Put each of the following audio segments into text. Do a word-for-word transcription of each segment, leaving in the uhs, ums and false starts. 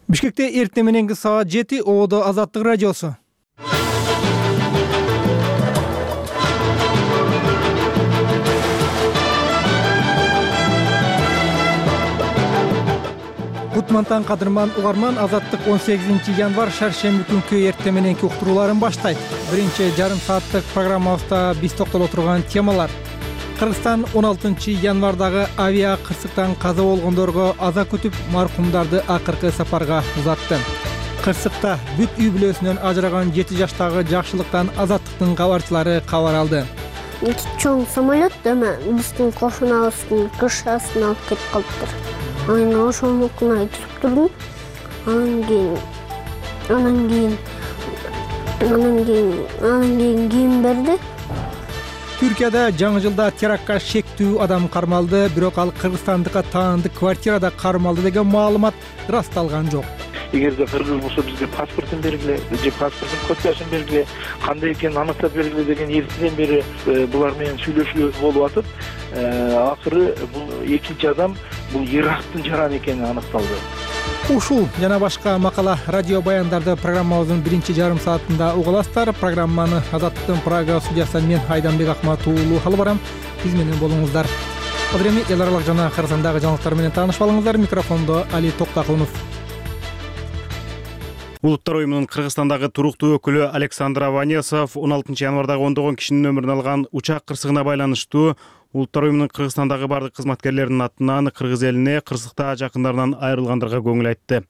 Бишкекте эртең мененки саат жети Ободо Азаттык радиосу. Кутмантан кадырман угарман, Азаттык он сегизинчи январь шаршемби күнкү эртең мененки уктурууларын баштайт. Биринчи жарым сааттык программабызда биз токтоло турган темалар: Кыргызстан он алтынчы январдагы авиа кырсыктан каза болгондорго аза күтүп, маркумдарды акыркы сапарга узатты. Кырсыкта бүт үй бүлөсүнөн ажыраган жети жаштагы Жакшылыктан Азаттыктын кабарчылары кабар алды. Чоң самолет эме биздин кошунабыздын крышасын алып кетип калыптыр. Анан ошонукун айтып турдум. Анан кийин анан кийин анан кийин анан кийин кийин берди. Түркияда жаңы жылда терактка шектүү адам кармалды, бирок ал кыргызстандыкка таандык квартирада кармалды деген маалымат ырасталган жок. Эгерде кыргыз болсо бизге паспортун бергиле, же паспорттун копиясын бергиле, кандай экенин аныктап бергиле деген эртеден бери булар менен сүйлөшүүлөр болуп атып, акыры бул экинчи адам бул Ирактын жараны экени аныкталды. Ушул жана башка макала, радио баяндарды программабыздын биринчи жарым саатында угаласыздар. Программаны Азаттыктын Прага студиясынан мен Айданбек Акматов уулу алып барам. Биз менен болуңуздар. Азыр эми эл аралык жана Кыргызстандагы жаңылыктар менен таанышып алыңыздар. Микрофондо Али Токтакулов. Улуттар уюмунун Кыргызстандагы туруктуу өкүлү Александр Аванесов он алтынчы январдагы ондогон кишинин өмүрүн алган учак кырсыгына байланыштуу Улуттар уюмунун Кыргызстандагы бардык кызматкерлеринин атынан кыргыз элине кырсыкта жакындарынан айрылгандырга көңүл айтты.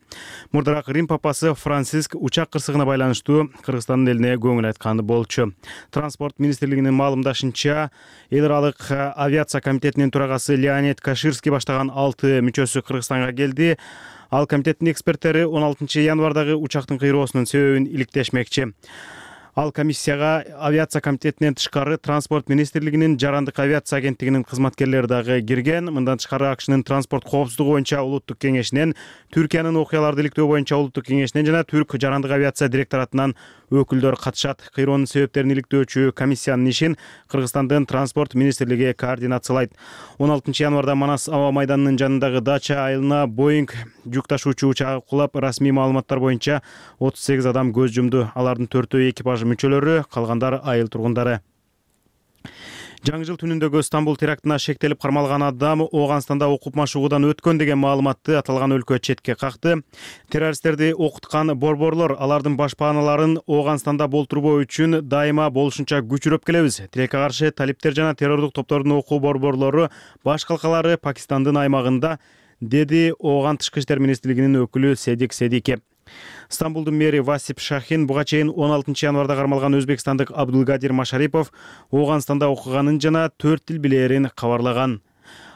Мурдараак Рим папасы Франциск учак кырсыгына байланыштуу Кыргызстандын элине көңүл айтканы болчу. Транспорт министрлигинин маалымдашынча, эл аралык авиация комитетинин төрагасы Леонид Каширский баштаган алты мүчөсү Кыргызстанга келди. Ал комитеттин эксперттери он алтынчы январдагы учактын кыйроосунун себебин иликтешмекчи. Ал комиссияга авиация комитетинен тышкары транспорт министрлигинин жарандык авиация агенттигинин кызматкерлери дагы кирген. Мындан тышкары АКШнын транспорт коопсуздугу боюнча улуттук кеңешинен, Түркиянын окуяларды иликтөө боюнча улуттук кеңешинен жана Түрк жарандык авиация директоратынан өкүлдөр катышат. Кыйроонун себептерин иликтөөчү комиссиянын ишин Кыргызстандын транспорт министрлиги координациялайт. он алтынчы январда Манас аба майданынын жанындагы дача айылына Боинг жүк ташуучу учагы кулап, расмий маалыматтар боюнча отуз сегиз адам көз жумду. Алардын төртөө экипаж мүчөлөрү, калгандар айыл тургундары. Жаңы жыл түнүндөгү Стамбул терактына шектелип кармалган адам Ооганстанда окуп машыгуудан өткөн деген маалыматты аталган өлкө четке какты. Террористтерди окуткан борборлор алардын башпааналарын Ооганстанда болтурбоо үчүн дайыма болушунча күчүрөп келебиз. Тилекке каршы талиптер жана террордук топтордун окуу борборлору баш калкалары Пакистандын аймагында, деди Ооган тышкы иштер министрлигинин өкүлү Седик Седике. Стамбулдун мэри Васип Шахин буга чейин он алтынчы январда кармалган өзбекстандык Абдулгадир Машарипов Ооганстанда окуганын жана төрт тил билээрин кабарлаган.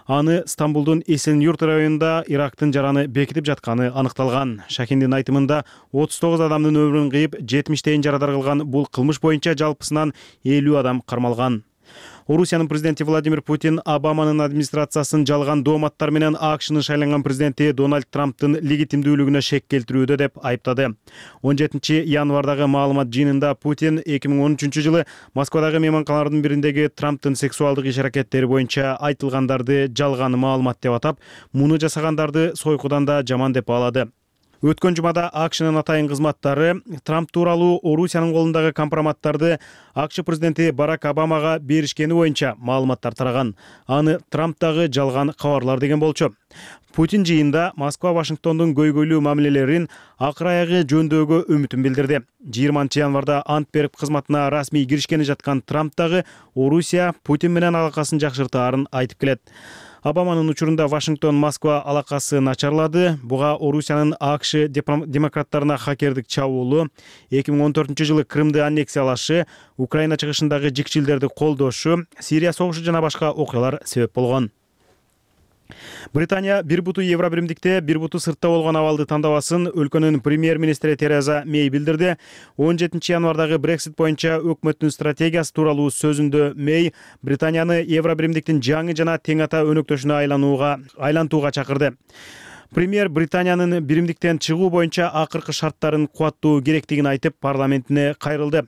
Аны Стамбулдун Эсен-Юрт районунда Ирактын жараны бекитип жатканы аныкталган. Шахиндин айтымында отуз тогуз адамдын өмүрүн кыйып, жетимиштейин жарадар кылган бул кылмыш боюнча жалпысынан элүү адам кармалган. Орусиянын президенти Владимир Путин Обаманын администрациясын жалган дооматтар менен АКШнын шайланган президенти Дональд Трамптын легитимдүүлүгүнө шек келтирүүдө деп айыптады. он жетинчи январдагы маалымат жыйынында Путин эки миң он үчүнчү жылы Москвадагы мейманканалардын бириндеги Трамптын сексуалдык иш-аракеттери боюнча айтылгандарды жалган маалымат деп атап, муну жасагандарды сойкудан да жаман деп баалады. Өткөн жумада АКШнын атайын кызматтары Трамп тууралуу Орусиянын колундагы компроматтарды АКШ президенти Барак Обамага беришкени боюнча маалыматтар тараган. Аны Трамп дагы жалган кабарлар деген болчу. Путин жыйында Москва Вашингтондун көйгөйлүү мамилелерин акыр аягы жөндөөгө үмүтүн билдирди. жыйырманчы январда ант берип кызматына расмий киришкени жаткан Трамп дагы Орусия Путин менен алакасын жакшыртаарын айтып келет. Обаманын учурунда Вашингтон-Москва алакасы начарлады. Буга Орусиянын АКШ демократтарына хакердик чабуулу, эки миң он төртүнчү жылы Крымды аннексиялашы, Украина чыгышындагы жикчилдерди колдошу, Сирия согушу жана башка окуялар себеп болгон. Британия бир буту Евробиримдикте, бир буту сыртта болгон абалды тандабасын өлкөнүн премьер-министри Тереза Мей билдирди. он жетинчи январдагы Брексит боюнча өкмөттүн стратегиясы тууралуу сөзүндө Мей Британияны Евробиримдиктин жаңы жана тең ата өнөктөшүнө айланууга айлантууга чакырды. Премьер Британиянын биримдиктен чыгуу боюнча акыркы шарттарын кубаттоо керектигин айтып, парламентине кайрылды.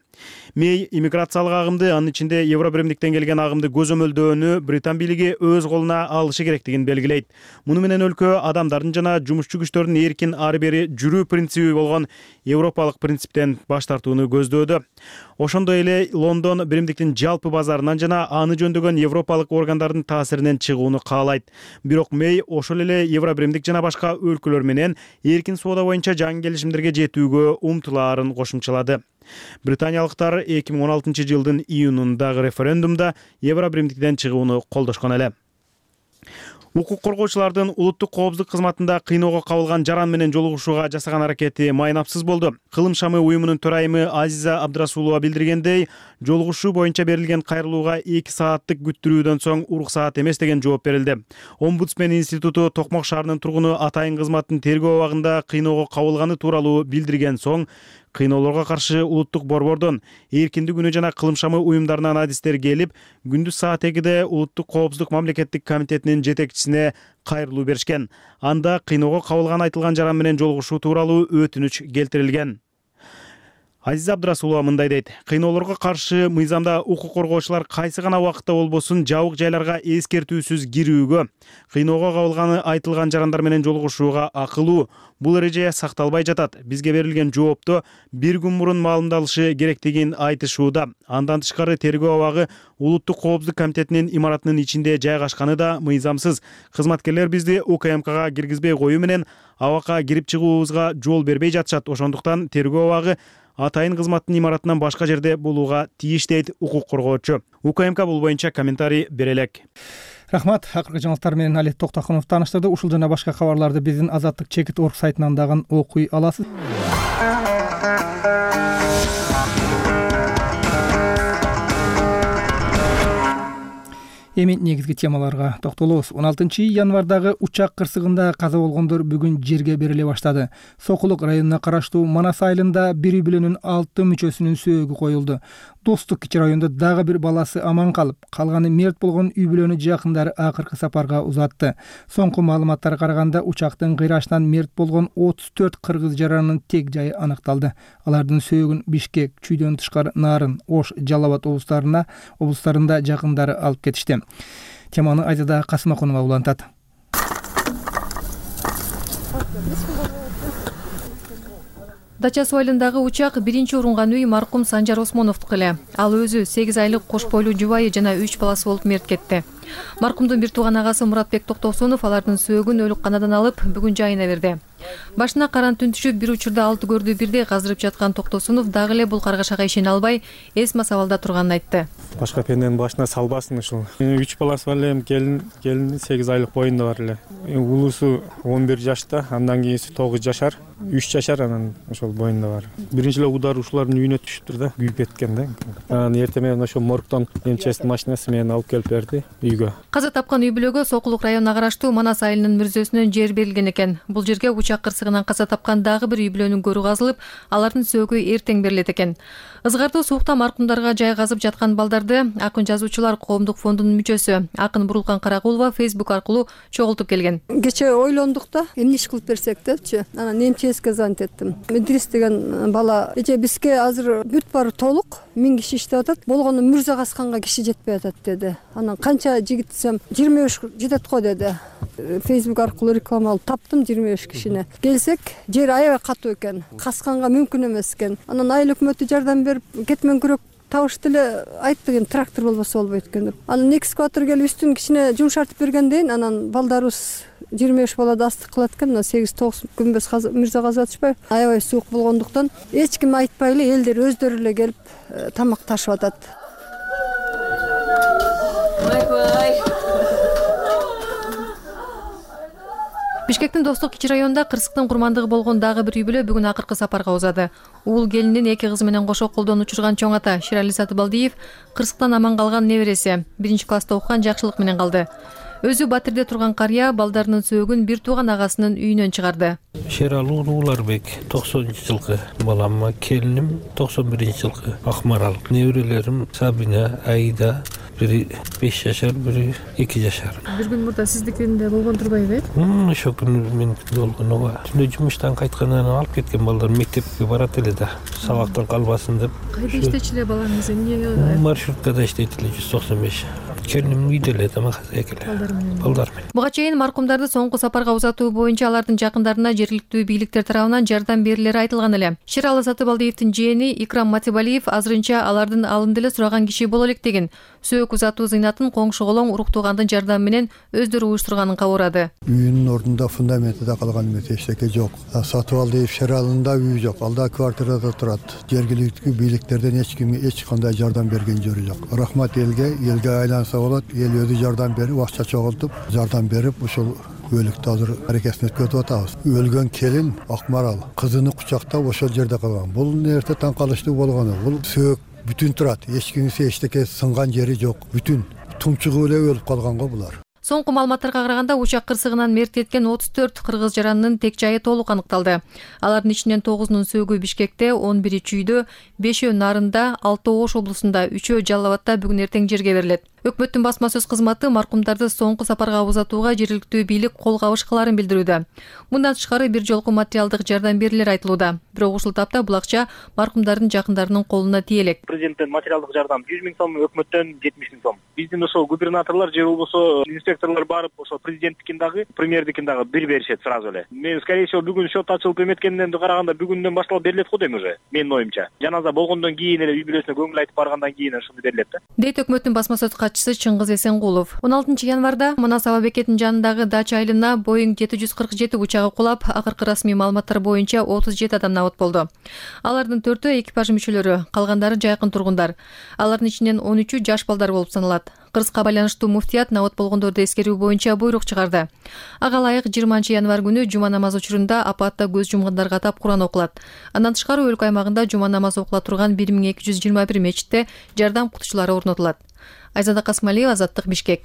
Мей иммиграциялык агымды, анын ичинде Евро биримдиктен келген агымды көзөмөлдөөнү Британ бийлиги өз колуна алышы керектигин белгилейт. Муну менен өлкө адамдардын жана жумушчу күчтөрдүн эркин ары бери жүрүү принциби болгон европалык принциптен баш тартууну көздөөдө. Ошондой эле Лондон биримдиктин жалпы базарынан жана аны жөндөгөн европалык органдардын таасиринен чыгууну каалайт. Бирок Мей ошол эле Евро биримдик жана башка өлкөлөр менен эркин соода боюнча жаңы келишимдерге жетүүгө умтулаарын кошумчалады. Британиялыктар эки миң он алтынчы жылдын июнундагы референдумда Евро биримдиктен чыгууну колдошкон эле. Укук коргоочулардын улуттук коопсуздук кызматында кыйноого кабылган жаран менен жолугушууга жасаган аракети майнапсыз болду. Кылым шамы уюмунун төрайымы Азиза Абдрасулова билдиргендей, жолугушуу боюнча берилген кайрылууга эки сааттык күттүрүүдөн соң уруксаат эмес деген жооп берилди. Омбудсмен институту Токмок шаарынын тургуну Атайын кызматтын тергөө абагында кыйноого кабылганы тууралуу билдирген соң, кыйноолорго каршы улуттук борбордон, эркиндик күнү жана кылым шамы уюмдарынан адистер келип, күндүз саат экиде улуттук коопсуздук мамлекеттик комитетинин жетекчисине кайрылуу беришкен. Анда кыйноого кабылган айтылган жаран менен жолугушуу тууралуу өтүнүч келтирилген. Азиза Абдрасулова мындай дейт: кыйноолорго каршы мыйзамда укук коргоочулар кайсы гана убакытта болбосун жабык жайларга эскертүүсүз кирүүгө, кыйноого кабылганы айтылган жарандар менен жолугушууга акылуу. Бул эреже сакталбай жатат. Бизге берилген жоопто бир күн мурун маалымдалышы керектигин айтышууда. Андан тышкары тергөө абагы улуттук коопсуздук комитетинин имаратынын ичинде жайгашканы да мыйзамсыз. Кызматкерлер бизди У К М Кга киргизбей коюу менен абакка кирип чыгуубузга жол бербей жатышат. Ошондуктан тергөө абагы Атайын кызматтын имаратынан башка жерде болууга тийиш, дейт укук коргоочу. У К М К бул боюнча комментарий бере элек. Рахмат. Акыркы жаңылыктар менен Алет Токтохунов тааныштырды. Ушул жана башка кабарларды биздин Азаттык чекит орг сайтынан дагы окуй аласыз. Эми негизги темаларга токтолобуз. он алтынчы январдагы учак кырсыгында каза болгондор бүгүн жерге бериле баштады. Сокулук районуна караштуу Манас айылында бир үй бүлөнүн алты мүчөсүнүн сөөгү коюлду. Достук кичи районунда дагы бир баласы аман калып, калганы мерт болгон үй бүлөнү жакындары акыркы сапарга узатты. Соңку маалыматтарга караганда учактын кыйрашынан мерт болгон отуз төрт кыргыз жаранынын тег жайы аныкталды. Алардын сөөгүн Бишкек, Чүйдөн тышкары Нарын, Ош, Жалал Абад облустарына облустарында жакындары алып кетишти. Теманы Айзада Касымакунова улантат. Дача суу айылындагы учак биринчи урунган үй маркум Санжар Осмоновдуку эле. Ал өзү сегиз айлык кош бойлуу жубайы жана үч баласы болуп мерт кетти. Маркумдун бир тууган агасы Муратбек Токтосунов алардын сөөгүн өлүкканадан алып, бүгүн жайына берди. Башына каран түн түшүп, бир учурда алты көрдү бирди казырып жаткан Токтосунов дагы эле бул каргашага ишене албай, эс масабалда турганын айтты. Башка пенденин башына салбасын ушул. үч баласы бар эле, келин, келин сегиз айлык боюнда бар эле. Улусу он бир жашта, андан кийинси тогуз жашар, үч жашар, анан ошол боюнда бар. Биринчи эле удар ушулардын үйүнө түшүптүр да, күйүп кеткен да. Анан эртең менен ошол моргтон эмчестин машинасы менен алып келип берди үйгө. Каза тапкан үй бүлөгө Сокулук районуна караштуу Манас айылынын мүрзөсүнөн жер берилген экен. Бул жерге учак кырсыгынан каза тапкан дагы бир үй бүлөнүн көрү казылып, алардын сөөгү эртең берилет экен. Ызгарды суукта маркумдарга жай казып жаткан балдарды Акын жазуучулар коомдук фондунун мүчөсү Акын Бурулкан Каракулова Facebook аркылуу чогултуп келген. Кече ойлондук да, эмне иш кылып берсек депчи. Анан эмческе звонить эттим. Идрис деген бала, эже бизге азыр бүт баары толук, миң киши иштеп атат, болгону мүрзө касканга киши жетпей атат деди. Анан канча жигит десем, жыйырма беш жетет го деди. Facebook аркылуу реклама алып таптым жыйырма беш кишини. Келсек, жер аябай катуу экен, касканга мүмкүн эмес экен. Анан айыл өкмөтү жардам берип, кетмен күрөк табышты эле, айттык эми трактор болбосо болбойт экен деп. Анан экскаватор келип үстүн кичине жумшартып бергенден анан балдарыбыз жыйырма беш балады астык кылат экен, мына сегиз тогуз күнбөз мырза казып атышпайбы? Аябай суук болгондуктан эч ким айтпай эле элдер өздөрү эле келип тамак ташып атат. Бишкектин Достук кичи районунда кырсыктын курмандыгы болгон дагы бир үй бүлө бүгүн акыркы сапарга узады. Уул келинин эки кызы менен кошо колдон учурган чоң ата Ширали Сатыбалдиев кырсыктан аман калган небереси биринчи класста окуган Жакшылык менен калды. Өзү Батирде турган карыя балдарынын сөөгүн бир тууган агасынын үйүнөн чыгарды. Шералуу Ууларбек токсонунчу жылкы балам, келиним токсон биринчи жылкы Акмарал, неберелерим Сабина, Аида, бири беш жашар, бири эки жашар. Бир күн мурда сиздикинде болгон турбайбы? Ошол күнү меникинде болгон. Ооба. Түндө жумуштан кайткандан алып кеткен балдар мектепке барат эле да, сабактан калбасын деп. Кайда иштечү эле балаңыз? Эмне? Маршруткада иштейт эле жүз токсон беш. Келиним үйдө эле тамак жасайт эле. Балдар менен. Буга чейин маркумдарды соңку сапарга узатуу боюнча алардын жакындарына жергиликтүү бийликтер тарабынан жардам берилери айтылган эле. Шералы Сатыбалдиевдин жээни Икрам Матибалиев азырынча алардын алынды эле сураган киши боло элек деген. Сөөк узатуу зыйнатын коңшу колоң урук туугандын жардамы менен өздөрү уюштурганын кабарады. Үйүнүн ордунда фундаменти да калган эмес, эчтеке жок. Сатыбалдиев Шералында үй жок, алда квартирада турат. Жергиликтүү бийликтерден эч ким эч кандай жардам берген жери жок. Рахмат элге, элге айланса болот, эл өзү жардам берип, акча чогултуп, жардам берип, ушул өлүктү азыр аракетин өткөзүп атабыз. Өлгөн келин Акмарал кызыны кучактап ошол жерде калган. Бул нерсе таң калыштуу болгону. Бул сөөк бүтүн турат. Эч кимсе эчтеке сынган жери жок. Бүтүн тумчугу эле өлүп калган го булар. Соңку маалыматтарга караганда учак кырсыгынан мерт кеткен отуз төрт кыргыз жаранынын тек жайы толук аныкталды. Алардын ичинен тогузунун сөөгү Бишкекте, он бири Чүйдө, бешөө Нарында, алты Ош облусунда, үчөө Жалал Абадта бүгүн эртең жерге берилет. Өкмөттүн басма сөз кызматы маркумдарды соңку сапарга узатууга жергиликтүү бийлик кол кабышкаларын билдирүүдө. Мындан тышкары бир жолку материалдык жардам берилери айтылууда. Бирок ушул тапта бул акча маркумдардын жакындарынын колуна тие элек. Президенттен материалдык жардам жүз миң сом, өкмөттөн жетимиш миң сом. Биздин ошол губернаторлор же болбосо инспекторлор барып, ошол президенттикин дагы, премьердикин дагы бир беришет сразу эле. Мен скорее всего бүгүн счет ачылып эметкенден караганда бүгүндөн башталып берилет го дейм уже. Менин оюмча. Жаназа болгондон кийин эле үй бүлөсүнө көңүл айтып баргандан кийин ушуну берилет да. Дейт өкмөттүн басма сөз катчысы Чыңгыз Эсенгулов. он алтынчы январда Манас аба бекетинин жанындагы дача айылына Боeing жети жүз кырк жети учагы кулап, акыркы расмий маалыматтар боюнча отуз жети адам набат болду. Алардын төртөө экипаж мүчөлөрү, калгандары жайкын тургундар. Алардын ичинен он үчү жаш балдар болуп саналат. Кыргызга байланыштуу муфтият набат болгондорду эскерүү боюнча буйрук чыгарды. Ага ылайык жыйырманчы январ күнү жума намазы учурунда апатта көз жумгандарга атап Куран окулат. Андан тышкары өлкө аймагында жума намазы окула турган бир миң эки жүз жыйырма бир мечитте жардам кутучулары орнотулат. Айзада Касмалиева, Азаттык, Бишкек.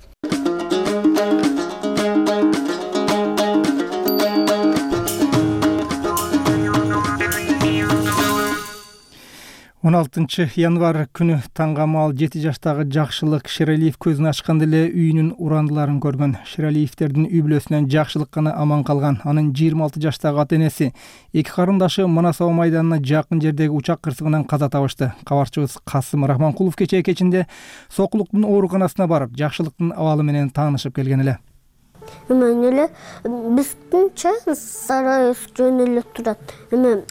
он алтынчы январ күнү таңгамал жети жаштагы Жакшылык Шералиев көзүн ачканда эле үйүнүн урандыларын көргөн. Шералиевдердин үй бүлөсүнөн Жакшылык гана аман калган. Анын жыйырма алты жаштагы ата-энеси эки карындашы Манас аба майданына жакын жердеги учак кырсыгынан каза табышты. Кабарчыбыз Касым Рахманкулов кечээ кечинде Сокулуктун ооруканасына барып, Жакшылыктын абалы менен таанышып келген эле. Эмен эле биздинче сарай жөн эле турат. Эмен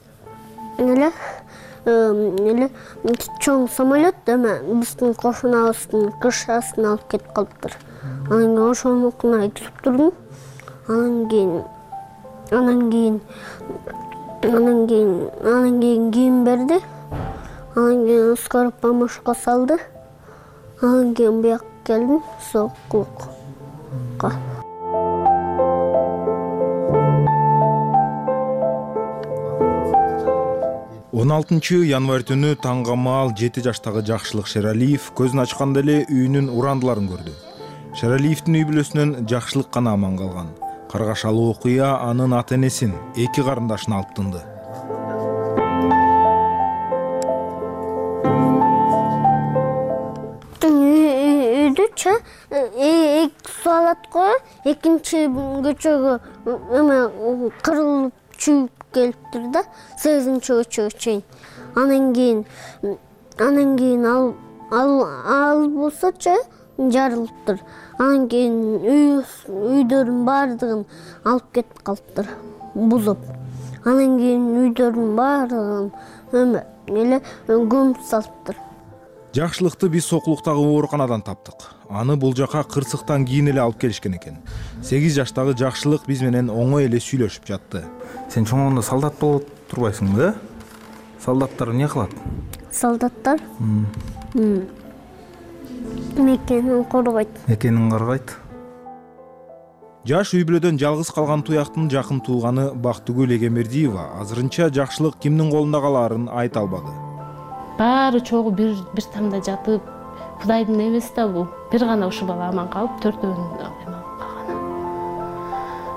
эле эле чоң самолет эме биздин кошунабыздын крышасына алып кетип калыптыр. Анан ошонукуна айтып турдум. Анан кийин анан кийин анан кийин анан кийин кийим берди. Анан кийин скорая помощька салды. Анан кийин бияка келдим Сокулукка. он алтынчы январь түнү таңгамал жети жаштагы Жакшылык Шералиев көзүн ачканда эле үйүнүн урандыларын көрдү. Шералиевдин үй бүлөсүнөн Жакшылык гана аман калган. Каргашалуу окуя анын ата-энесин, эки карындашын алып тынды. Үйдүчө эки салат коюп, экинчи көчөгө эме кырылып чүйүп келиптир да, сегизинчи көчөгө чейин. Анан кийин анан кийин ал ал ал болсочу жарылыптыр. Анан кийин үйдөрдүн баардыгын алып кетип калыптыр, бузуп. Анан кийин үйдөрдүн баардыгын эме эле көмүп салыптыр. Жакшылыкты биз Сокулуктагы ооруканадан таптык. Аны бул жака кырсыктан кийин эле алып келишкен экен. сегиз жаштагы Жакшылык биз менен оңой эле сүйлөшүп жатты. Сен чоңондо солдат болуп турбайсыңбы, да? Солдаттар эмне кылат? Солдаттар? Мекенин коргойт. Мекенин коргойт. Жаш үй бүлөдөн жалгыз калган туяктын жакын тууганы Бактыгүл Эгембердиева азырынча Жакшылык кимдин колунда калаарын айта албады. Баары чогуу бир бир тамда жатып, Кудайдын эмеси да бул. Бир гана ушул бала аман калып, төртөөнүн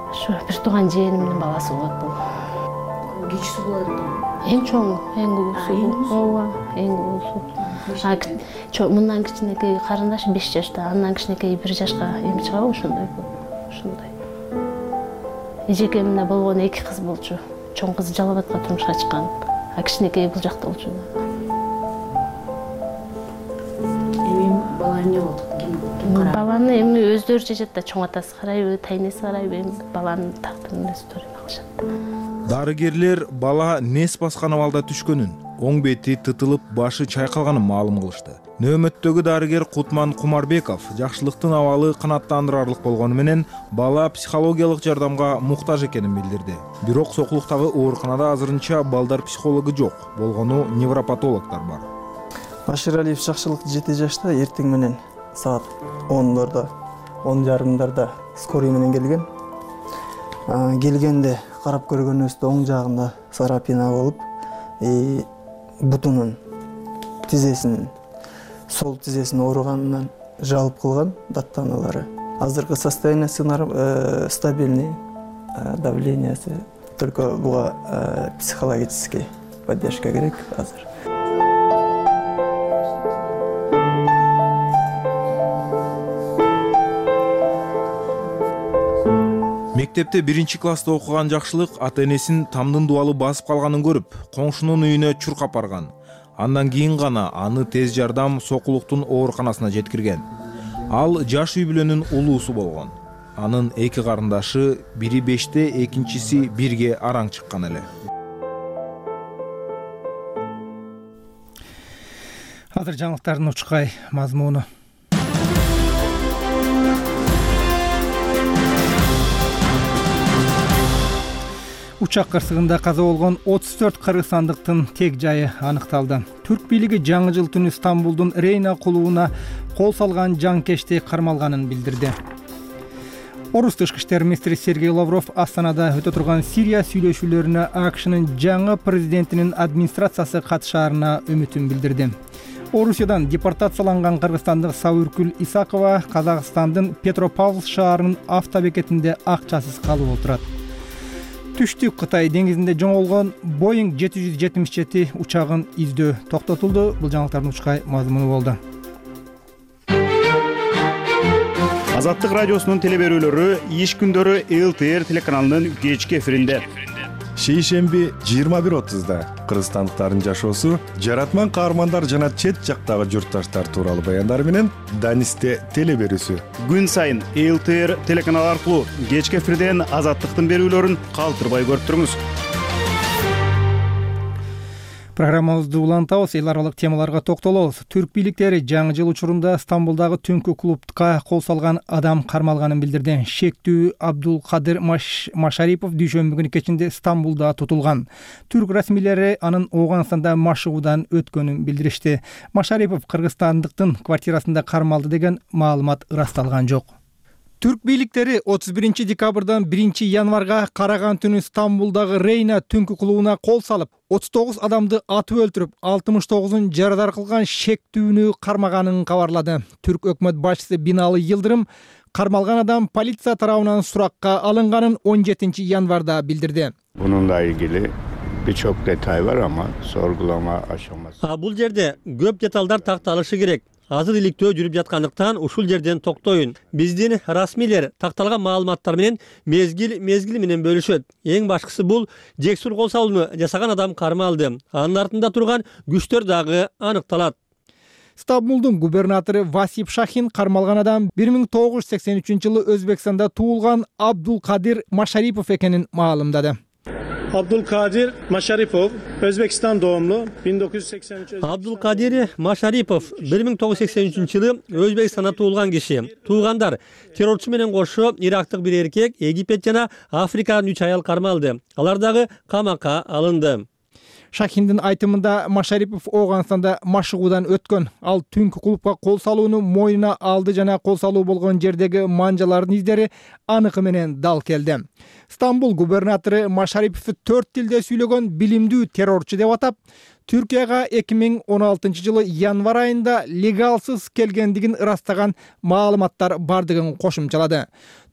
Ошо бир тууган жээнимдин баласы болот бул. Кичүүсү болот. Эң чоңу, эң улуусу. Ооба, эң улуусу. А мындан кичинекей карындашы беш жашта, андан кичинекей бир жашка эми чыгабы ошондой бул. Ошондой. Эжекемде болгон эки кыз болчу. Чоң кызы Жалал Абадка турмушка чыккан, а кичинекей бул жакта болчу. Эми бала эмне болду? Баланы эми өздөрү чечет да, чоң атасы карайбы, тайнеси карайбы, эми баланын тактырын өздөрү кылышат. Дарыгерлер бала нес баскан абалда түшкөнүн, оң бети тытылып, башы чайкалганын маалым кылышты. Нөөмөттөгү дарыгер Кутман Кумарбеков жакшылыктын абалы канааттандырарлык болгону менен бала психологиялык жардамга муктаж экенин билдирди. Бирок Сокулуктагы ооруканада азырынча балдар психологу жок, болгону невропатологдор бар. Маширалиев жакшылык жети жашта эртең менен саат ондордо, он жарымдарда скорый менен келген. Келгенде карап көргөнүбүздө оң жагында сарапина болуп, бутунун тизесин, сол тизесин ооруганынан жалып кылган даттаналары. Азыркы состояниясы стабильный, давлениясы, только буга психологический поддержка керек азыр. Мектепте биринчи класста окуган Жакшылык ата-энесин тамдын дубалы басып калганын көрүп, коңшунун үйүнө чуркап барган. Андан кийин гана аны тез жардам Сокулуктун ооруканасына жеткирген. Ал жаш үй бүлөнүн улуусу болгон. Анын эки карындашы, бири беште, экинчиси бирге араң чыккан эле. Азыр жаңылыктардын учкай мазмуну. Учак кырсыгында каза болгон отуз төрт кыргызстандыктын тег жайы аныкталды. Түрк бийлиги жаңы жыл түнү Стамбулдун Рейна клубуна кол салган жанкечти кармалганын билдирди. Орус тышкы иштер министри Сергей Лавров Астанада өтө турган Сирия сүйлөшүүлөрүнө АКШнын жаңы президентинин администрациясы катышаарына үмүтүн билдирди. Орусиядан депортацияланган кыргызстандык Сабыркүл Исакова Казакстандын Петропавл шаарынын автобекетинде акчасыз калып отурат. Түштүк Кытай деңизинде жоңолгон Boeing жети жүз жетимиш жети учагын издөө токтотулду. Бул жаңылыктардын учкай мазмуну болду. Азаттык радиосунун телеберүүлөрү иш күндөрү эл тэ эр телеканалынын кечки эфиринде. Шейшемби жыйырма бир отузда кыргызстандыктардын жашоосу, жаратман каармандар жана чет жактагы журтташтар тууралуу баяндар менен Данисте телеберүүсү. Күн сайын эл тэ эр телеканалы аркылуу кечки эфирден азаттыктын берүүлөрүн калтырбай көрүп туруңуз. Программабызды улантабыз, эл аралык темаларга токтолобуз. Түрк бийликтери жаңы жыл учурунда Стамбулдагы түнкү клубка кол салган адам кармалганын билдирди. Шектүү Абдулкадир Машарипов дүйшөмбү күнү кечинде Стамбулда тутулган. Түрк расмийлери анын Ооганстанда машыгуудан өткөнүн билдиришти. Машарипов кыргызстандыктын квартирасында кармалды деген маалымат ырасталган жок. Түрк бийликтери отуз биринчи декабрдан биринчи январга караган түнү Стамбулдагы Рейна түнкү клубуна кол салып, отуз тогуз адамды атып өлтүрүп, алтымыш тогузун жарадар кылган шектүүнү кармаганын кабарлады. Түрк өкмөт башчысы Бинали Йылдырым кармалган адам полиция тарабынан суракка алынганын он жетинчи январда билдирди. Bununla ilgili birçok detay var ama sorgulama aşaması. Бул жерде көп деталдар такталышы керек. Азыр иликтөө жүрүп жаткандыктан ушул жерден токтоюн. Биздин расмийлер такталган маалыматтар менен мезгил мезгил менен бөлүшөт. Эң башкысы бул жексур кол салууну жасаган адам кармалды. Анын артында турган күчтөр дагы аныкталат. Стамбулдун губернатору Васип Шахин кармалган адам бир миң тогуз жүз сексен үчүнчү жылы Өзбекстанда туулган Абдулкадир Машарипов экенин маалымдады. Abdülkadir Maşaripov, Özbekistan doğumlu, bin dokuz yüz seksen üç. Abdülkadir Maşaripov bir mиң тогуз жүз сексен үчүнчү жылы Өзбекстанда туулган киши. Туугандар террорчу менен кошо Ирактык бир эркек, Египет жана Африкадан үч аял кармалды. Алар дагы камакка алынды. Шахиндин айтымында Машарипов Ооганстанда машыгуудан өткөн. Ал түнкү клубка кол салууну мойнуна алды жана кол салуу болгон жердеги манжалардын издери аныкы менен дал келди. Стамбул губернатору Машариповду төрт тилде сүйлөгөн билимдүү террорчу деп атап, Түркияга эки миң он алтынчы жылы январь айында легалсыз келгендигин ырастаган маалыматтар бардыгын кошумчалады.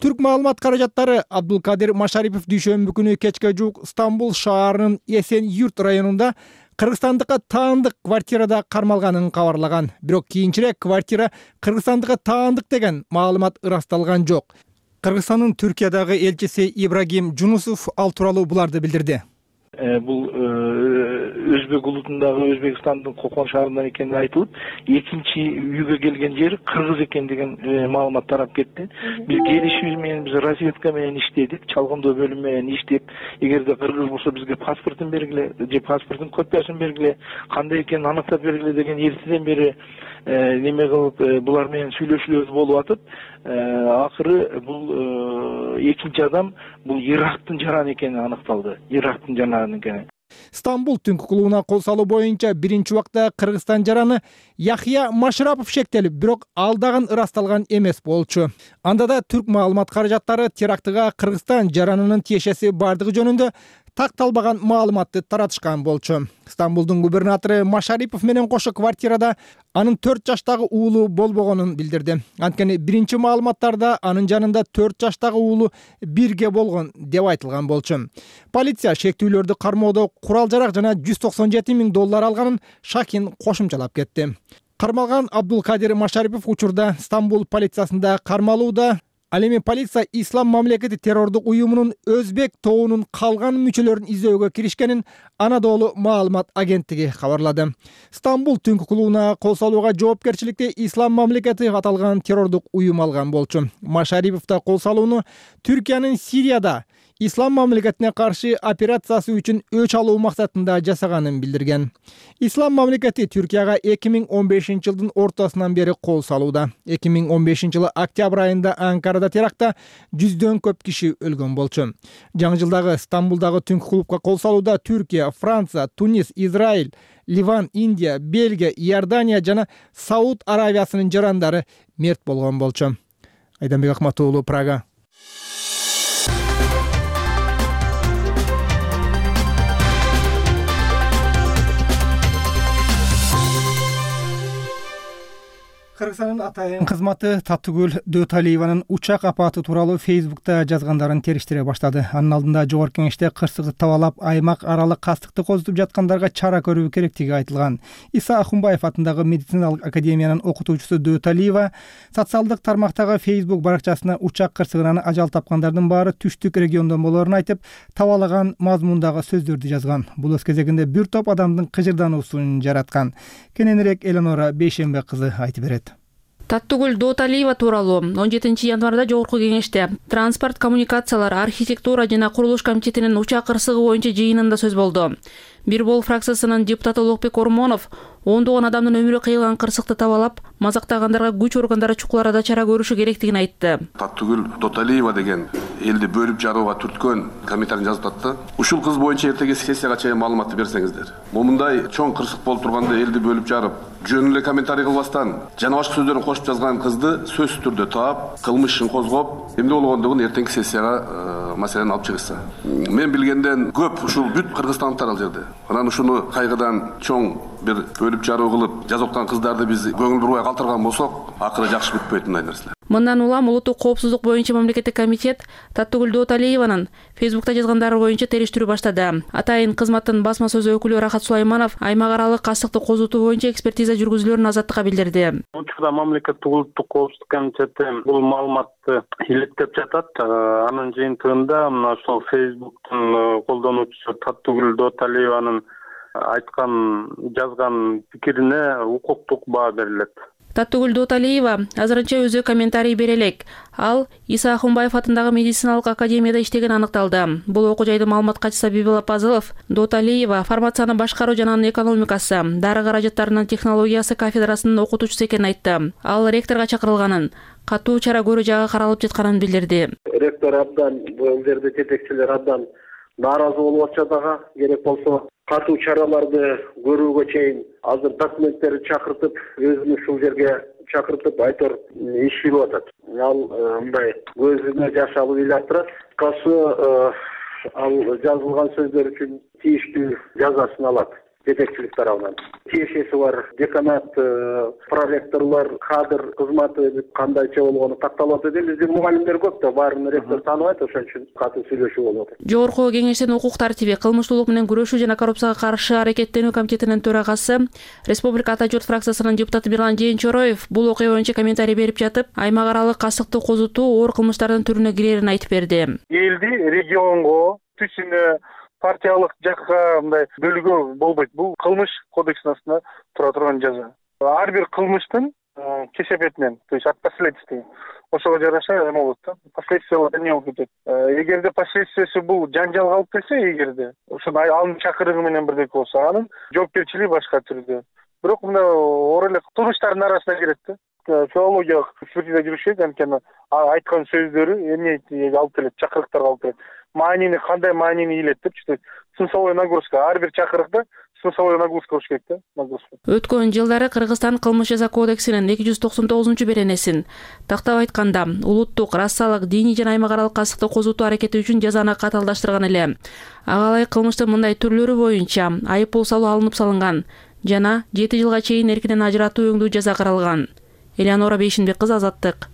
Түрк маалымат каражаттары Абдулкадир Машарипов дүйшөмбү күнү кечке жуук Стамбул шаарынын Эсен-Юрт районунда кыргызстандыкка таандык квартирада кармалганын кабарлаган. Бирок кийинчерээк квартира кыргызстандыкка таандык деген маалымат ырасталган жок. Кыргызстандын Түркиядагы элчиси Ибрагим Жунусов ал тууралуу буларды билдирди. Бул Өзбек улутундагы Өзбекстандын Кокон шаарынан экени айтылып, экинчи үйгө келген жери кыргыз экен деген маалымат тарап кетти. Биз келишибиз менен биз разведка менен иштедик, чалгындоо бөлүм менен иштеп, эгерде кыргыз болсо бизге паспортун бергиле, же паспорттун копиясын бергиле, кандай экенин аныктап бергиле деген эртеден бери неме кылып булар менен сүйлөшүүлөр болуп атып, акыры бул экинчи адам бул Ирактын жараны экени аныкталды. Ирактын жараны экени. Стамбул түнкү клубуна кол салуу боюнча биринчи убакта Кыргызстан жараны Яхья Машрапов шектелип, бирок ал дагы ырасталган эмес болчу. Анда да түрк маалымат каражаттары терактыга Кыргызстан жаранынын тиешеси бардыгы жөнүндө такталбаган маалыматты таратышкан болчу. Стамбулдун губернатору Машарипов менен кошо квартирада анын төрт жаштагы уулу болбогонун билдирди. Анткени биринчи маалыматтарда анын жанында төрт жаштагы уулу бирге болгон деп айтылган болчу. Полиция шектүүлөрдү кармоодо курал-жарак жана жүз токсон жети миң доллар алганын Шакин кошумчалап кетти. Кармалган Абдулкадир Машарипов учурда Стамбул полициясында кармалууда. Ал эми полиция Ислам мамлекети террордук уюмунун Өзбек тобунун калган мүчөлөрүн издөөгө киришкенин Анадолу маалымат агенттиги кабарлады. Стамбул түнкү клубуна кол салууга жоопкерчиликти Ислам мамлекети аталган террордук уюм алган болчу. Машарипов да кол салууну Түркиянын Сирияда Ислам мамлекетине каршы операциясы үчүн өч алуу максатында жасаганын билдирген. Ислам мамлекети Түркияга эки миң он бешинчи жылдын ортосунан бери кол салууда. эки миң он бешинчи жылы октябрь айында Анкарада терактта жүздөн көп киши өлгөн болчу. Жаңы жылдагы Стамбулдагы түнкү клубка кол салууда Түркия, Франция, Тунис, Израиль, Ливан, Индия, Бельгия, Иордания жана Сауд Аравиясынын жарандары мерт болгон болчу. Айданбек Акматуулу, Прага. Кыргызстандын атайын кызматы Таттыгүл Дөталиеванын учак апаты тууралуу Фейсбукта жазгандарын териштире баштады. Анын алдында жогорку кеңеште кырсыгы табалап, аймак аралык кастыкты козутуп жаткандарга чара көрүү керектиги айтылган. Иса Ахунбаев атындагы медициналык академиянын окутуучусу Дөталиева социалдык тармактагы Фейсбук баракчасына учак кырсыгынан ажал тапкандардын баары түштүк региондон болоорун айтып, табалаган мазмундагы сөздөрдү жазган. Бул өз кезегинде бир топ адамдын кыжырдануусун жараткан. Кененирээк Элонора Бейшембе кызы айтып берет. Таттыгүл Дөталиева тууралуу он жетинчи январда жогорку кеңеште транспорт, коммуникациялар, архитектура жана курулуш комитетинин учак кырсыгы боюнча жыйынында сөз болду. Бир бол фракциясынын депутаты Улукбек Ормонов ондогон адамдын өмүрү кыйылган кырсыкты табалап, мазактагандарга күч органдары чукул арада чара көрүшү керектигин айтты. Таттыгүл Дөталиева деген элди бөлүп жарууга түрткөн комментарий жазып атты. Ушул кыз боюнча эртеги сессияга чейин маалыматты берсеңиздер. Момундай чоң кырсык болуп турганда элди бөлүп жарып, жөн эле комментарий кылбастан жана башка сөздөрүн кошуп жазган кызды сөзсүз түрдө таап, кылмыш ишин козгоп, эмне болгондугун эртеңки сессияга маселени алып чыгышса. Мен билгенден көп ушул бүт кыргызстандыктар ал жерде. Анан ушуну кайгыдан чоң бир бөлүп жаруу кылып жазоктан кыздарды биз көңүл бурбай калтырган болсок, акыры жакшы бүтпөйт мындай нерселер. Мындан улам улуттук коопсуздук боюнча мамлекеттик комитет Таттыгүл Дөталиеванын Фейсбукта жазгандары боюнча териштирүү баштады. Атайын кызматтын басма сөз өкүлү Рахат Сулайманов аймак аралык кастыкты козутуу боюнча экспертиза жүргүзүлөрүн азаттыкка билдирди. Учурда мамлекеттик улуттук коопсуздук комитети бул маалыматты иликтеп жатат. Анын жыйынтыгында мына ошол Фейсбуктун колдонуучусу Таттыгүл Дөталиеванын айткан жазган пикирине укуктук баа берилет. Таттыгүл Дөталиева азырынча өзү комментарий бере элек. Ал Иса Ахунбаев атындагы медициналык академияда иштеген аныкталды. Бул окуу жайдын маалымат катчысы Бибила Пазылов Дөталиева фармацияны башкаруу жана анын экономикасы, дары каражаттарынын технологиясы кафедрасынын окутуучусу экенин айтты. Ал ректорго чакырылганын, катуу чара көрүү жагы каралып жатканын билдирди. Ректор абдан, бул жерде жетекчилер абдан нааразы болуп атышат ага. Керек болсо катуу чараларды көрүүгө чейин азыр документтерди чакыртып, өзүн ушул жерге чакыртып айтор иш жүрүп атат. Ал мындай көзүнө жаш алып ыйлап турат. Касы ал жазылган сөздөр үчүн тийиштүү жазасын алат. жетекчилик тарабынан. Тиешеси бар деканат, проректорлор, кадр кызматы кандайча болгону такталып атат. Биздин мугалимдер көп да, баарын ректор тааныбайт, ошон үчүн катуу сүйлөшүү болуп атат. Жогорку Кеңештин укук тартиби, кылмыштуулук менен күрөшүү жана коррупцияга каршы аракеттенүү комитетинин төрагасы, Республика Ата журт фракциясынын депутаты Бирлан Жээнчороев бул окуя боюнча комментарий берип жатып, аймак аралык кастыкты козутуу оор кылмыштардын түрүнө кирерин айтып берди. Элди регионго, түшүнө партиялык жакка мындай бөлүүгө болбойт. Бул кылмыш кодексинин астында тура турган жаза. Ар бир кылмыштын кесепетинен, то есть от последствий, ошого жараша эме болот да, последствиялар эмне болуп кетет. Эгерде последствиясы бул жанжалга алып келсе, эгерде ошону анын чакырыгы менен бирдеки болсо, анын жоопкерчилиги башка түрдө. Бирок мына оор эле турмуштардын арасына кирет да. Филологиялык экспертиза жүрүшөт, анткени айткан сөздөрү эмне алып келет, чакырыктарга алып келет. Маанини кандай маанини илет деп, смысловой нагрузка, ар бир чакырыкта смысловой нагрузка болуш керек да, нагрузка. Өткөн жылдары Кыргызстан кылмыш жаза кодексинин эки жүз токсон тогузунчу беренесин тактап айтканда, улуттук, расалык, диний жана аймак аралык кастыкты козутуу аракети үчүн жазаны катаалдаштырган эле. Ага ылайык кылмыштын мындай түрлөрү боюнча айып пул салуу алынып салынган жана жети жылга чейин эркинен ажыратуу өңдүү жаза каралган. Элеонора Бейшинбек кызы, Азаттык.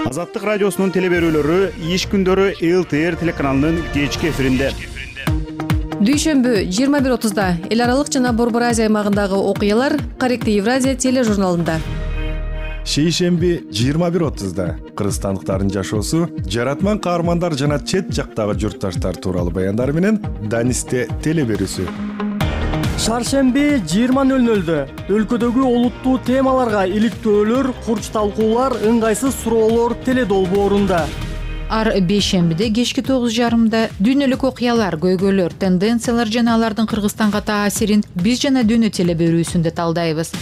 Азаттык радиосунун телеберүүлөрү иш күндөрү эл тэ эр телеканалынын кечки эфиринде. Дүйшөмбү жыйырма бир отузда эл аралык жана Борбор Азия аймагындагы окуялар Корректив Евразия тележурналында. Шейшемби жыйырма бир отузда кыргызстандыктардын жашоосу, жаратман каармандар жана чет жактагы журтташтар тууралуу баяндар менен Данисте телеберүүсү. Шаршемби жыйырма нөл нөлдө өлкөдөгү олуттуу темаларга иликтөөлөр, курч талкуулар, ыңгайсыз суроолор теледолбоорунда. Ар бейшембиде кечки тогуз жарымда дүйнөлүк окуялар, көйгөйлөр, тенденциялар жана алардын Кыргызстанга таасирин биз жана дүйнө телеберүүсүндө талдайбыз.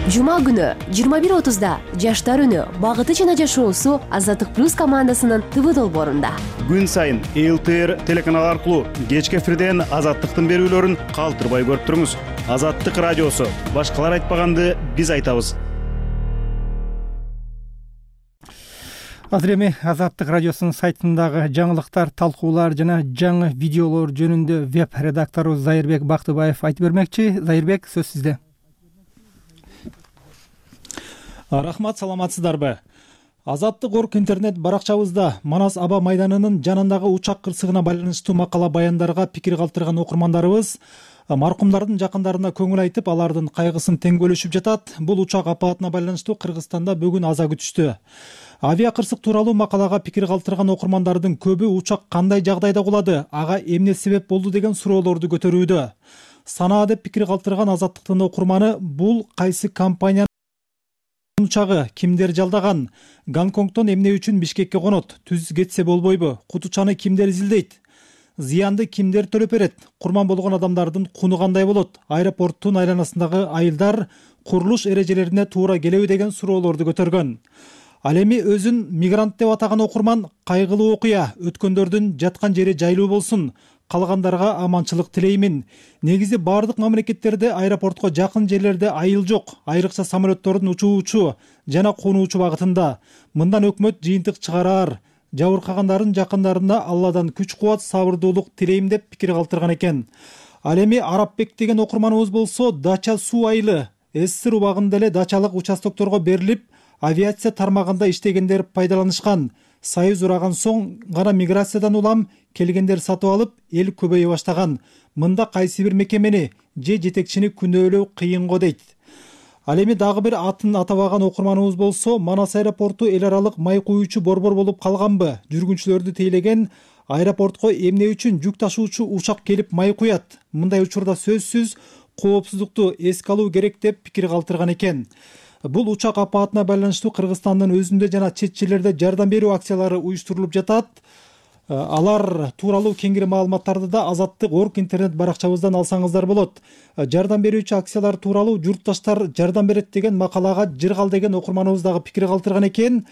Жума күнү жыйырма бир отузда жаштар үнү, багыты жана жашоосу Азаттык плюс командасынын ТВ долбоорунда. Күн сайын эл тэ эр телеканалы аркылуу кечки эфирден Азаттыктын берүүлөрүн калтырбай көрүп туруңуз. Азаттык радиосу, башкалар айтпаганды биз айтабыз. Азыр эми Азаттык радиосунун сайтындагы жаңылыктар, талкуулар жана жаңы видеолор жөнүндө веб редактору Зайырбек Бактыбаев айтып бермекчи. Зайырбек, сөз сизде. Рахмат, саламатсыздарбы? Азаттык орг интернет баракчабызда Манас аба майданынын жанындагы учак кырсыгына байланыштуу макала баяндарга пикир калтырган окурмандарыбыз маркумдардын жакындарына көңүл айтып, алардын кайгысын тең бөлүшүп жатат. Бул учак апаатына байланыштуу Кыргызстанда бүгүн аза күтүштү. Авиа кырсык тууралуу макалага пикир калтырган окурмандардын көбү учак кандай жагдайда кулады, ага эмне себеп болду деген суроолорду көтөрүүдө. Санаа деп пикир калтырган Азаттыктын окурманы бул кайсы компания учагы, кимдер жалдаган, Гонконгдон эмне үчүн Бишкекке конот, түз кетсе болбойбу, кутучаны кимдер изилдейт, зыянды кимдер төлөп берет, курман болгон адамдардын куну кандай болот, аэропорттун айланасындагы айылдар курулуш эрежелерине туура келеби деген суроолорду көтөргөн. Ал эми өзүн мигрант деп атаган окурман кайгылуу окуя, өткөндөрдүн жаткан жери жайлуу болсун, калгандарга аманчылык тилеймин. Негизи бардык мамлекеттерде аэропортко жакын жерлерде айыл жок, айрыкча самолеттордун учуучу жана конуучу багытында. Мындан өкмөт жыйынтык чыгараар. Жабыркагандардын жакындарына Алладан күч-кубат, сабырдуулук тилейм деп пикир калтырган экен. Ал эми Арапбек деген окурманыбыз болсо, Дача суу айылы СССР убагында эле дачалык участокторго берилип, авиация тармагында иштегендер пайдаланышкан. Союз ураган соң гана миграциядан улам келгендер сатып алып, эл көбөйө баштаган. Мында кайсы бир мекемени же жетекчини күнөөлөө кыйын го дейт. Ал эми дагы бир атын атабаган окурманыбыз болсо, Манас аэропорту эл аралык май куюучу борбор болуп калганбы? Жүргүнчүлөрдү тейлеген аэропортко эмне үчүн жүк ташуучу учак келип май куят? Мындай учурда сөзсүз коопсуздукту эске алуу керек деп пикир калтырган экен. Бул учак апаатына байланыштуу Кыргызстандын өзүндө жана чет жерлерде жардам берүү акциялары уюштурулуп жатат. Алар тууралуу кеңири маалыматтарды да Азаттык орг интернет баракчабыздан алсаңыздар болот. Жардам берүүчү акциялар тууралуу журтташтар жардам берет деген макалага Жыргал деген окурманыбыз дагы пикир калтырган экен.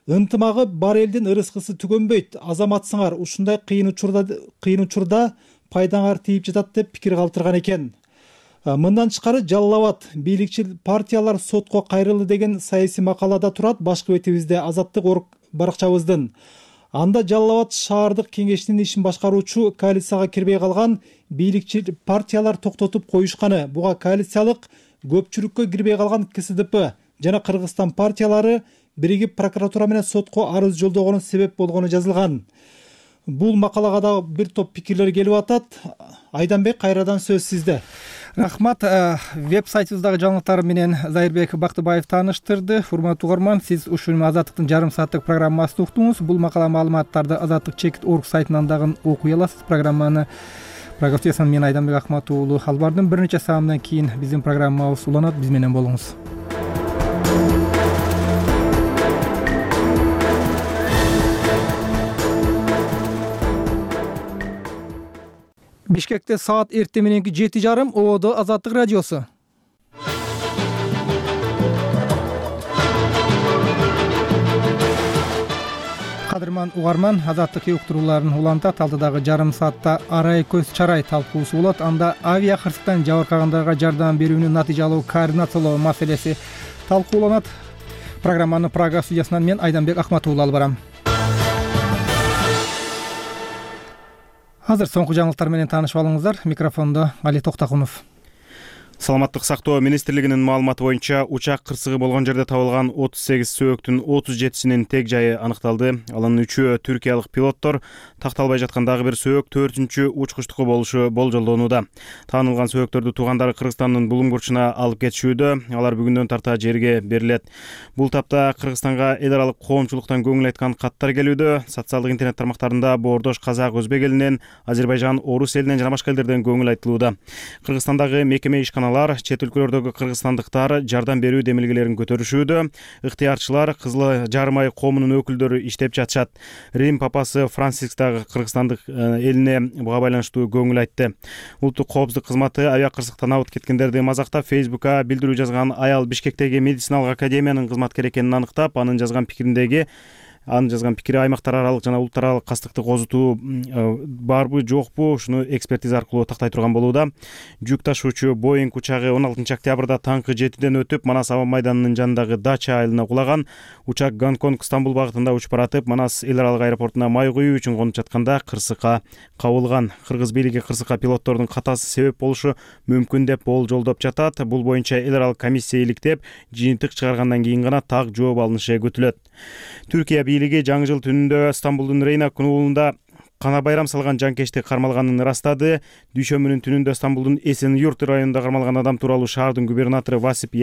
Ынтымагы бар элдин ырыскысы түгөнбөйт. Азаматсыңар, ушундай кыйын учурда кыйын учурда пайдаңар тийип жатат деп пикир калтырган экен. Мындан тышкары Жалал Абад бийликчил партиялар сотко кайрылды деген саясий макалада турат башкы бетибизде Азаттык орг баракчабыздын. Анда Жалал Абад шаардык кеңешинин ишин башкаруучу коалицияга кирбей калган бийликчил партиялар токтотуп коюшканы, буга коалициялык көпчүлүккө кирбей калган ка эс ди пи жана Кыргызстан партиялары биригип прокуратура менен сотко арыз жолдогону себеп болгону жазылган. Бул макалага да бир топ пикирлер келип атат. Айданбек, кайрадан сөз сизде. Рахмат. Веб-сайтыбыздагы жаңылыктар менен Зайырбек Бактыбаев тааныштырды. Урматтуу угарман, сиз ушул Азаттыктын жарым сааттык программасын уктуңуз. Бул макала маалыматтарды Азаттык чекит точка орг сайтынан дагы окуй аласыз. Программаны программасын мен Айданбек Акмат уулу алып бардым. Бир нече саамдан кийин биздин программабыз уланат. Биз менен болуңуз. Бишкекте саат эртең мененки жети жарым. Ободо Азаттык радиосу. Кадырман угарман, Азаттык уктурууларын улантат. Алдыдагы жарым саатта арай көз чарай талкуусу болот. Анда авиа кырсыктан жабыркагандарга жардам берүүнүн натыйжалуу координациялоо маселеси талкууланат. Программаны Прага студиясынан мен Айданбек Акмат уулу алып барам. Азыр соңку жаңылыктар менен таанышып алыңыздар. Микрофондо Али Токтокунов. Саламаттык сактоо министрлигинин маалыматы боюнча учак кырсыгы болгон жерде табылган отуз сегиз сөөктүн отуз жетисинин тег жайы аныкталды. Алардын үчөө түркиялык пилоттор, такталбай жаткан дагы бир сөөк төртүнчү учкучтуку болушу болжолдонууда. Таанылган сөөктөрдү туугандары Кыргызстандын Булуң бурчуна алып кетишүүдө. Алар бүгүндөн тарта жерге берилет. Бул тапта Кыргызстанга эл аралык коомчулуктан көңүл айткан каттар келүүдө. Социалдык интернет тармактарында боордош казак, өзбек элинен, Азербайжан, орус элинен жана башка элдерден көңүл айтылууда. Кыргызстандагы мекеме ишкана чет өлкөлөрдөгү кыргызстандыктар жардам берүү демилгелерин көтөрүшүүдө. Ыктыярчылар, Кызыл Жарым ай коомунун өкүлдөрү иштеп жатышат. Рим папасы Франциск дагы кыргызстандык элине буга байланыштуу көңүл айтты. Улуттук коопсуздук кызматы авиа кырсыктан абыт кеткендерди мазактап Фейсбукка билдирүү жазган аял Бишкектеги медициналык академиянын кызматкери экенин аныктап, анын жазган пикириндеги Анын жазган пикири аймактар аралык жана улуттар аралык кастыкты козутуу барбы, жокпу, ушуну экспертиза аркылуу тактай турган болууда. Жүк ташуучу Боинг учагы он алтынчы октябрда таңкы жетиден өтүп, Манас аба майданынын жанындагы Дача айылына кулаган. Учак Гонконг Стамбул багытында учуп баратып, Манас эл аралык аэропортуна май куюу үчүн конуп жатканда кырсыкка кабылган. Кыргыз бийлиги кырсыкка пилоттордун катасы себеп болушу мүмкүн деп болжолдоп жатат. Бул боюнча эл аралык комиссия иликтеп, жыйынтык чыгаргандан кийин гана так жооп алынышы күтүлөт. Түркия бийлиги жаңы жыл түнүндө Стамбулдун Рейна уулунда кана байрам салган жанкечти кармалганын ырастады. Дүйшөмбүнүн түнүндө Стамбулдун Эсен-Юрт районунда кармалган адам тууралуу шаардын губернатору Васип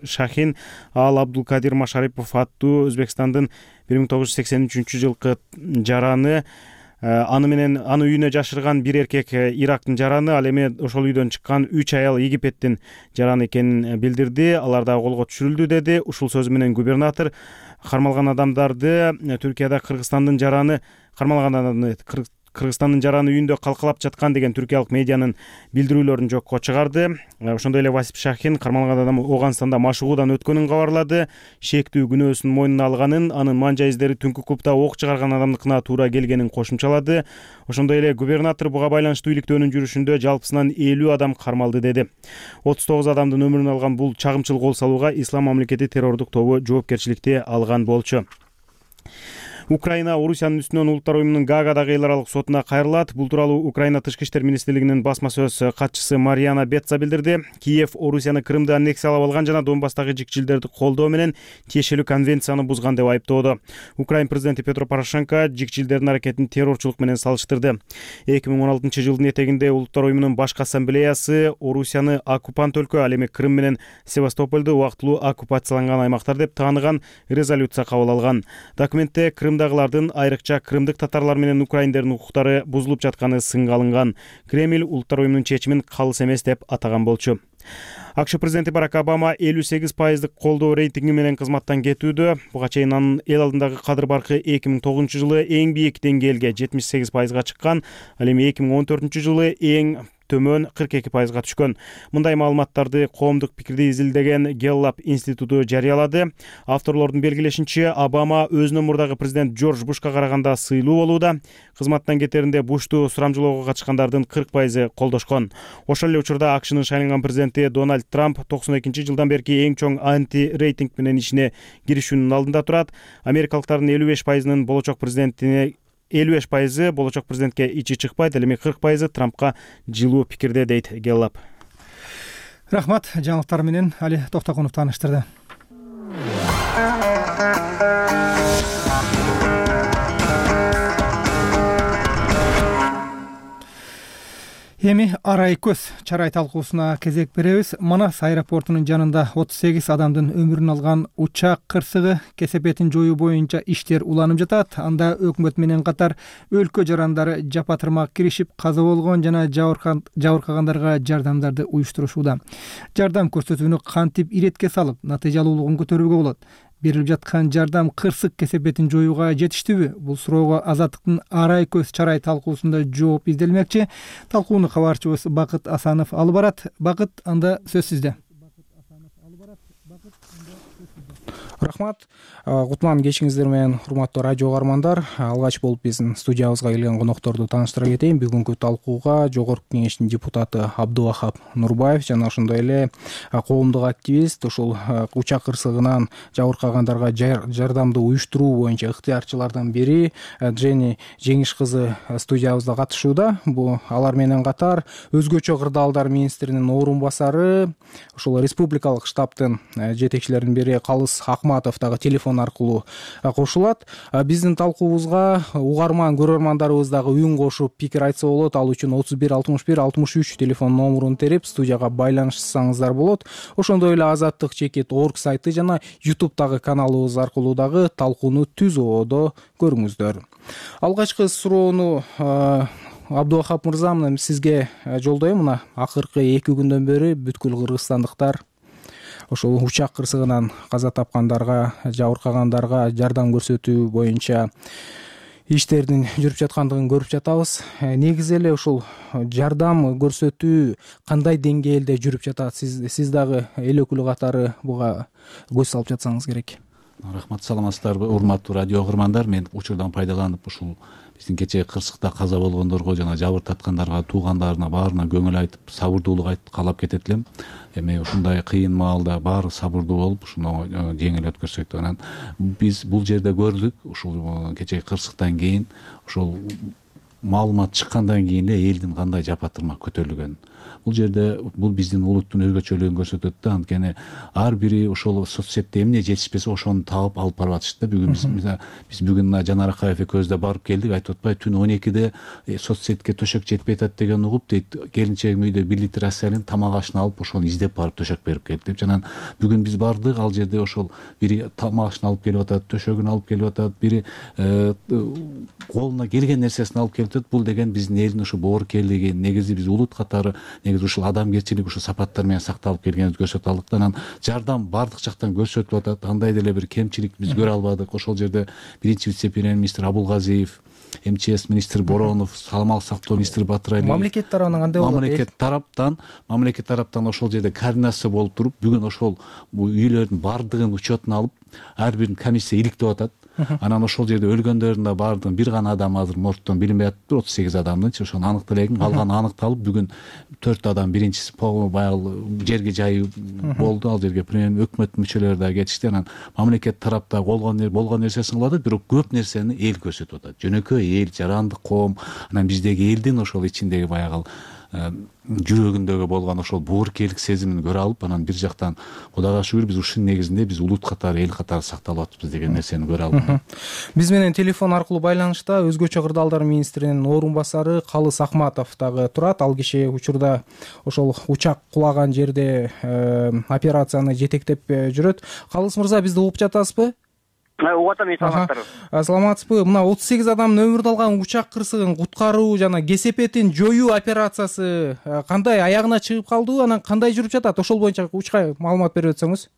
Шахин ал Абдулкадир Машарипов аттуу Өзбекстандын бир миң тогуз жүз сексен үчүнчү жылкы жараны, аны менен аны үйүнө жашырган бир эркек Ирактын жараны, ал эми ошол үйдөн чыккан үч аял Египеттин жараны экенин билдирди. Алар да колго түшүрүлдү, деди. Ушул сөзү менен губернатор кармалган адамдарды Түркияда Кыргызстандын жараны кармалган адамды Кыргызстандын жараны үйүндө калкалап жаткан деген түркиялык медианын билдирүүлөрүн жокко чыгарды. Ошондой эле Васип Шахин кармалган адам Ооганстанда машыгуудан өткөнүн кабарлады. Шектүү күнөөсүн мойнуна алганын, анын манжа издери түнкү клубда ок чыгарган адамдыкына туура келгенин кошумчалады. Ошондой эле губернатор буга байланыштуу иликтөөнүн жүрүшүндө жалпысынан элүү адам кармалды, деди. отуз тогуз адамдын өмүрүн алган бул чагымчыл кол салууга Ислам мамлекети террордук тобу жоопкерчиликти алган болчу. Украина Орусиянын үстүнөн улуттар уюмунун Гаагадагы эл аралык сотуна кайрылат. Бул тууралуу Украина тышкы иштер министрлигинин басма сөз катчысы Мариана Бетца билдирди. Киев Орусияны Крымды аннексиялап алган жана Донбасстагы жикчилдерди колдоо менен тиешелүү конвенцияны бузган деп айыптоодо. Украина президенти Петро Порошенко жикчилдердин аракетин террорчулук менен салыштырды. эки миң он алтынчы жылдын этегинде улуттар уюмунун башкы ассамблеясы Орусияны оккупант өлкө, ал эми Крым менен Севастополду убактылуу оккупацияланган аймактар деп тааныган резолюция кабыл алган. Документте Крым дагылардын, айрыкча крымдык татарлар менен украиндердин укуктары бузулуп жатканы сынга алынган. Кремль улуттар уюмунун чечимин калыс эмес деп атаган болчу. АКШ президенти Барак Обама элүү сегиз пайыздык колдоо рейтинги менен кызматтан кетүүдө. Буга чейин анын эл алдындагы кадыр баркы эки миң тогузунчу жылы эң бийик деңгээлге жетимиш сегиз пайызга чыккан, ал эми эки миң он төртүнчү жылы эң төмөн кырк эки пайызга түшкөн. Мындай маалыматтарды коомдук пикирди изилдеген Геллап институту жарыялады. Авторлордун белгилешинче, Обама өзүнөн мурдагы президент Джордж Бушка караганда сыйлуу болууда. Кызматтан кетеринде Бушту сурамжылоого катышкандардын кырк пайызы колдошкон. Ошол эле учурда АКШнын шайланган президенти Дональд Трамп токсон экинчи жылдан берки эң чоң анти-рейтинг менен ишине киришүүнүн алдында турат. Америкалыктардын элүү беш пайызынын болочок президентине элүү беш пайызы болочок президентке ичи чыкпайт, ал эми кырк пайызы Трампка жылуу пикирде, дейт Гэллап. Рахмат, жаңылыктар менен Али Токтогонов тааныштырды. Эми арай көз чарай талкуусуна кезек беребиз. Манас аэропортунун жанында отуз сегиз адамдын өмүрүн алган учак кырсыгы кесепетин жоюу боюнча иштер уланып жатат. Анда өкмөт менен катар өлкө жарандары жапа-тырмак киришип, каза болгон жана жабыркагандарга жардамдарды уюштурушууда. Жардам көрсөтүүнү кантип иретке салып, натыйжалуулугун көтөрүүгө болот? Берилип жаткан жардам кырсык кесепетин жоюуга жетиштүүбү? Бул суроого Азаттыктын арай көз чарай талкуусунда жооп изделмекчи. Талкууну кабарчыбыз Бакыт Асанов алып барат. Бакыт, анда сөз сизде. Рахмат. Кутман кечиңиздер менен, урматтуу радио угармандар. Алгач болуп биздин студиябызга келген конокторду тааныштыра кетейин. Бүгүнкү талкууга Жогорку Кеңештин депутаты Абдувахап Нурбаев жана ошондой эле коомдук активист, ушул учак кырсыгынан жабыркагандарга жардамды уюштуруу боюнча ыктыярчылардын бири Жени Жеңиш кызы студиябызда катышууда. Бул алар менен катар өзгөчө кырдаалдар министринин орун басары, ушул республикалык штабтын жетекчилеринин бири Калыс Акматов дагы телефон аркылуу кошулат. Биздин талкуубузга угарман көрөрмандарыбыз дагы үн кошуп пикир айтса болот. Ал үчүн отуз бир алтымыш бир алтымыш үч телефон номурун терип студияга байланышсаңыздар болот. Ошондой эле азаттык чекит орг сайты жана ютубтагы каналыбыз аркылуу дагы талкууну түз ободо көрүңүздөр. Алгачкы суроону Абдувахап мырза, мына сизге жолдойм. Мына акыркы эки күндөн бери бүткүл кыргызстандыктар ошол учак кырсыгынан каза тапкандарга, жабыркагандарга жардам көрсөтүү боюнча иштердин жүрүп жаткандыгын көрүп жатабыз. Негизи эле ушул жардам көрсөтүү кандай деңгээлде жүрүп жатат? Сиз сиз дагы эл өкүлү катары буга көз салып жатсаңыз керек. Рахмат, саламатсыздарбы, урматтуу радио угармандар. Мен учурдан пайдаланып ушул биздин кечээ кырсыкта каза болгондорго жана жабыр таткандарга, туугандарына баарына көңүл айтып, сабырдуулук айтып каалап кетет элем. Эми ушундай кыйын маалда баары сабырдуу болуп, ушуну жеңил өткөрсөк деп анан биз бул жерде көрдүк. Ушул кечээ кырсыктан кийин, ушул маалымат чыккандан кийин эле элдин кандай жапа-тырмак көтөрүлгөнүн. Бул жерде бул биздин улуттун өзгөчөлүгүн көрсөтөт да. Анткени ар бири ошол соц сетте эмне жетишпесе ошону таап алып барып атышты да. Бүгүн биз биз бүгүн Жанар Акаев экөөбүз да барып келдик. Айтып атпайбы, түн он экиде соц сетке төшөк жетпей атат деген угуп, дейт, келинчегим үйдө бир литр аселин тамак ашын алып ошону издеп барып төшөк берип келди деп. Жана бүгүн биз бардык, ал жерде ошол бири тамак ашын алып келип атат, төшөгүн алып келип атат, бири колуна келген нерсесин алып келип атат. Бул деген биздин элдин ушу боорукерлиги, негизи биз улут катары негизи ушул адамгерчилик ушул сапаттар менен сакталып келгенибизди көрсөтө алдык да. Анан жардам бардык жактан көрсөтүлүп атат. Андай деле бир кемчилик биз көрө албадык. Ошол жерде биринчи вице-премьер-министр Абулгазиев, эм че эс министри Боронов, саламаттык сактоо министри Батыралиев, мамлекет тарабынан кандай болот? Мамлекет тараптан, мамлекет тараптан ошол жерде координация болуп туруп, бүгүн ошол үйлөрдүн бардыгын учетуна алып, ар бирин комиссия иликтеп атат. Анан ошол жерде өлгөндөрдүн да бардыгын бир гана адам азыр морттон билинбей атыптыр, отуз сегиз адамдынчы, ошону аныкталган, калганы аныкталып, бүгүн төрт адам биринчиси баягы жерге жайып болду. Ал жерге премьер өкмөт мүчөлөрү да кетишти. Анан мамлекет тарапта болгон болгон нерсесин кылып атат, бирок көп нерсени эл көрсөтүп атат. Жөнөкөй эл, жарандык коом, анан биздеги элдин ошол ичиндеги баягы жүрөгүндөгү болгон ошол боорукерлик сезимин көрө алып, анан бир жактан Кудайга шүгүр биз ушунун негизинде биз улут катары, эл катары сакталып атпыз деген нерсени көрө алып. Биз менен телефон аркылуу байланышта өзгөчө кырдаалдар министринин орун басары Калыс Акматов дагы турат. Ал киши учурда ошол учак кулаган жерде операцияны жетектеп жүрөт. Калыс мырза, бизди угуп жатасызбы? Угуп атам, саламаттарбы. Саламатсызбы? Мына отуз сегиз адамдын өмүрүн алган учак кырсыгын куткаруу жана кесепетин жоюу операциясы кандай аягына чыгып калды? Анан кандай жүрүп жатат? Ошол боюнча учка маалымат берип өтсөңүз.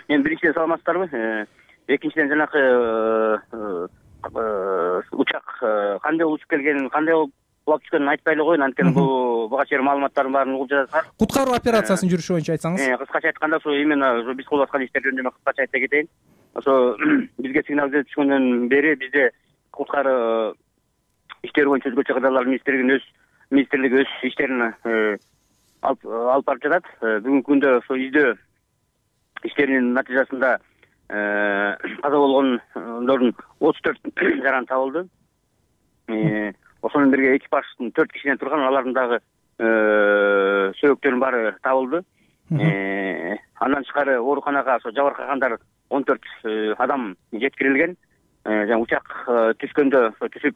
Эми биринчиден саламатсыздарбы? Экинчиден жанакы учак кандай учуп келгенин, кандай болуп кулап түшкөнүн айтпай эле коеюн, анткени бул буга чейин маалыматтардын баарын угуп жатасыздар. Куткаруу операциясынын жүрүшү боюнча айтсаңыз. Кыскача айтканда, ошо именно биз кылып аткан иштер жөнүндө кыскача айта кетейин. Ошо бизге сигнал келип түшкөндөн бери бизде куткаруу иштери боюнча өзгөчө кырдаалдар министрлигинин өз министрлиги өз иштерин алып алып барып жатат. Бүгүнкү күндө ошо издөө иштеринин натыйжасында каза болгондордун отуз төрт жараны табылды. ошол менен бирге экипаждын төрт кишиден турган алардын дагы сөөгүттөрүнүн баары табылды. Андан тышкары ооруканага ошо жабыркагандар он төрт адам жеткирилген. Жана учак түшкөндө ошо түшүп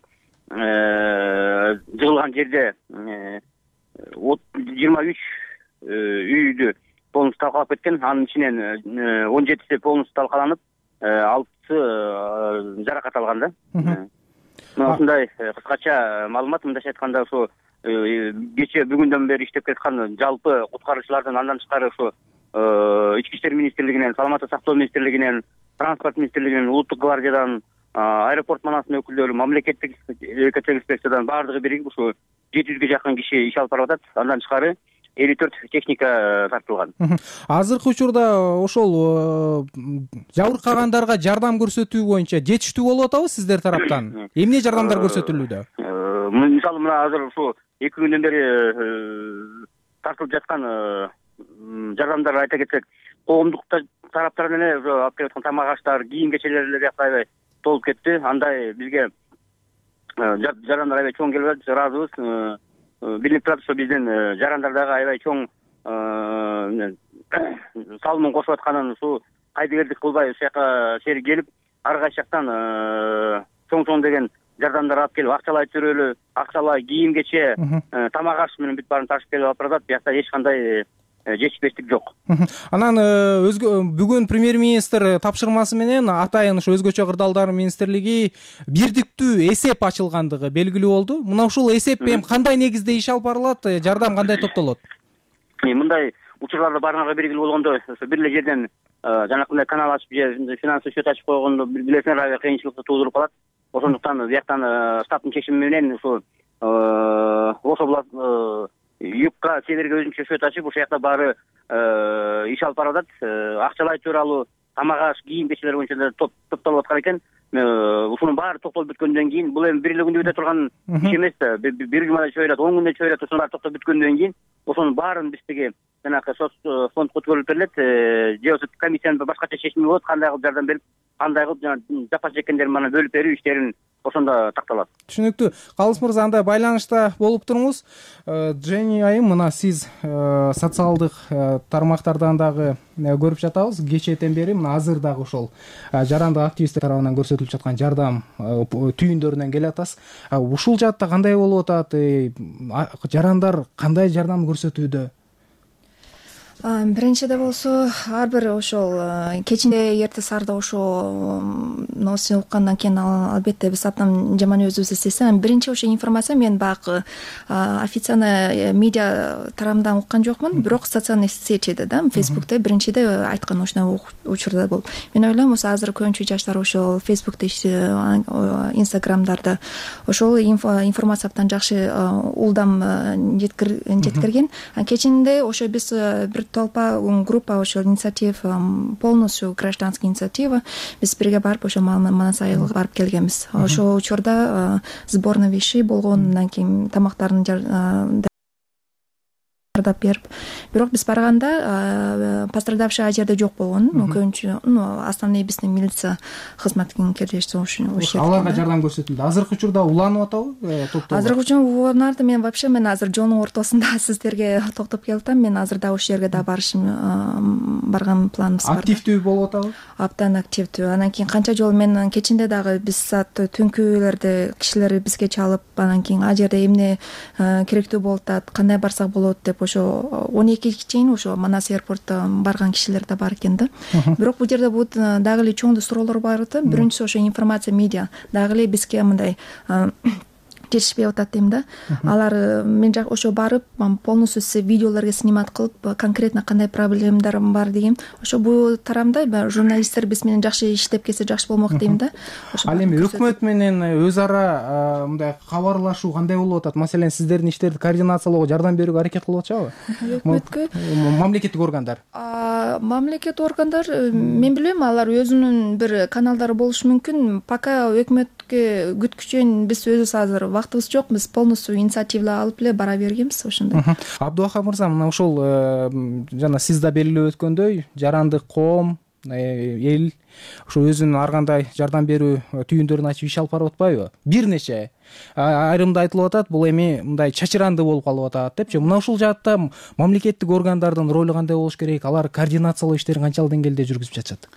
жыгылган жерде жыйырма үч үйдү полностью талкалап кеткен. Анын ичинен он жетиси полностью талкаланып, алтысы жаракат алган да. Мына ушундай кыскача маалымат. Мындайча айтканда, ошо кече бүгүндөн бери иштеп келаткан жалпы куткаруучулардын андан тышкары ошо Ички иштер министрлигинен, саламаттык сактоо министрлигинен, транспорт министрлигинен, улуттук гвардиядан, аэропорт манасынын өкүлдөрү, мамлекеттик экотек инспекциядан баардыгы биригип ушу жети жүзгө жакын киши иш алып барып атат. Андан тышкары элүү төрт техника тартылган. Азыркы учурда ошол жабыркагандарга жардам көрсөтүү боюнча жетиштүү болуп атабы сиздер тараптан? Эмне жардамдар көрсөтүлүүдө? Мисалы мына азыр ушу эки күндөн бери тартылып жаткан жардамдар айта кетсек, коомдук тараптардан эле алып келаткан тамак аштар, кийим кечелер эле аябай толуп кетти. Андай бизге жарандар аябай чоң келип атат, ыраазыбыз. Билинип турат, ошо биздин жарандар дагы аябай чоң салымын кошуп атканын, ушу кайдыгердик кылбай ушул жака сери келип, ар кайсы жактан чоң-чоң деген жардамдар алып келип, акчалай төрөлү, акчалай кийим кече, тамак аш менен бүт баарын ташып келип алып баратат. Биякта эч кандай жетишпештик жок. Анан өзгө бүгүн премьер-министр тапшырмасы менен атайын ошо өзгөчө кырдаалдар министрлиги бирдиктүү эсеп ачылгандыгы белгилүү болду. Мына ушул эсеп эми кандай негизде иш алып барылат, жардам кандай топтолот? Мындай учурларда баарыңарга белгилүү болгондо, ошо бир эле жерден жанакындай канал ачып же финансовый счет ачып койгондо билесиңер, аябай кыйынчылыкты туудуруп калат. Ошондуктан бияктан штабтын чечими менен ушу ошо юкка северге өзүнчө счет ачып, ошол жакта баары иш алып барып атат. Акчалай тууралуу, тамак аш, кийим кечелер боюнча топтолуп аткан экен. Ушунун баары токтолуп бүткөндөн кийин, бул эми бир эле күндө бүтө турган иш эмес да. Бир жумада чөйрөт, он күндө чөйрөт, ошонун баары токтоп бүткөндөн кийин ошонун баарын биздеги жанагы соц фондко өткөрүлүп берилет. Же болбосо комиссиянын башкача чечими болот, кандай кылып жардам берип, кандай кылып жана жапа чеккендерин мана бөлүп берүү иштерин ошондо такталат. Түшүнүктүү. Калыс мырза, андай байланышта болуп туруңуз. Жени айым, мына сиз социалдык тармактардан дагы көрүп жатабыз. Кечээден бери мына азыр дагы ошол жарандык активисттер тарабынан көрсөтүлүп жаткан жардам түйүндөрүнөн келе атасыз. Ушул жаатта кандай болуп атат? Жарандар кандай жардам көрсөтүүдө? Биринчиде болсо, ар бир ошол кечинде эрте саарда ошо новосту уккандан кийин албетте биз абдан жаман өзүбүз эстейбиз. Биринчи ошо информация мен баягы официальный медиа тарабынан уккан жокмун, бирок социальный сетиде да, Facebook'те биринчиде айткан ушундай учурда болуп. Мен ойлойм, ошо азыр көбүнчө жаштар ошол Facebook'те, Instagram'дарда ошол информация абдан жакшы улдам жеткирген. Кечинде ошо биз бир толпа группа ошол инициатив, полностью гражданский инициатива, биз бирге барып ошо Манас айылга барып келгенбиз. Ошол учурда сборный вещей болгон, андан кийин тамактарын жардап берип, бирок биз барганда пострадавший ал жерде жок болгон. Көбүнчө основной биздин милиция кызматкерлери ошол жерде. Аларга жардам көрсөтүлдү. Азыркы учурда уланып атабы топтор? Азыркы учурда уланарды. Мен вообще мен азыр жолдун ортосунда сиздерге токтоп келип атам. Мен азыр да ошол жерге да барышым барган планыбыз бар. Активдүү болуп атабы? Абдан активдүү. Анан кийин канча жолу мен кечинде дагы биз саат түнкүлөрдө кишилер бизге чалып, анан кийин ал жерде эмне керектүү болуп атат, кандай барсак болот деп ошо он экиге чейин ошо Манас аэропортто барган кишилер да бар экен да. Бирок бул жерде бут дагы эле чоң суроолор бар да. Биринчиси ошо информация медиа дагы эле бизге мындай жетишпей атат дейм да. Алар мен ошо барып полностью видеолорго снимать кылып, конкретно кандай проблемалар бар деген. Ошо бул тарамда журналисттер биз менен жакшы иштеп келсе жакшы болмок дейм да. Ал эми өкмөт менен өз ара мындай кабарлашуу кандай болуп атат? Маселен, сиздердин иштерди координациялоого, жардам берүүгө аракет кылып атышабы? Өкмөткө? Мамлекеттик органдар. Мамлекеттик органдар, мен билем, алар өзүнүн бир каналдары болушу мүмкүн. Пока өкмөткө күткүчөн биз өзүбүз азыр вактыбыз жок, биз полностью инициатива алып эле бара бергенбиз ошондой. Абдубакыр мырза, мына ошол жана сиз да белгилеп өткөндөй, жарандык коом, эл ошо өзүнүн ар кандай жардам берүү түйүндөрүн ачып иш алып барып атпайбы? Бир нече айрымда айтылып атат, бул эми мындай чачыранды болуп калып атат депчи. Мына ушул жаатта мамлекеттик органдардын ролу кандай болуш керек? Алар координациялоо иштерин канчалык деңгээлде жүргүзүп жатышат?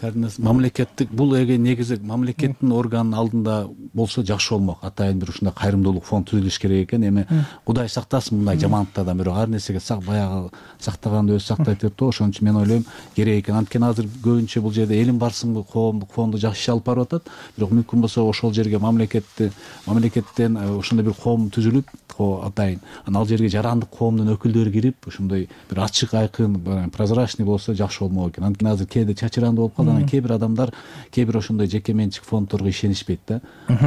Мамлекеттик бул эге негизи мамлекеттин органынын алдында болсо жакшы болмок. Атайын бир ушундай кайрымдуулук фонд түзүлүш керек экен. Эми Кудай сактасын мындай жамандыктардан, бирок ар нерсеге баягы сактаганды өзү сактайт деп то. Ошон үчүн мен ойлойм керек экен. Анткени азыр көбүнчө бул жерде элим барсыңбы коомдук фонду жакшы иш алып барып атат. Бирок мүмкүн болсо ошол жерге мамлекетти мамлекеттен ошондой бир коом түзүлүп, атайын анан ал жерге жарандык коомдун өкүлдөрү кирип, ошондой бир ачык, айкын, прозрачный болсо жакшы болмок экен. Анткени азыр кээде чачыранды болуп калды. Кээ бир адамдар кээ бир ошондой жеке менчик фонддорго ишенишпейт да.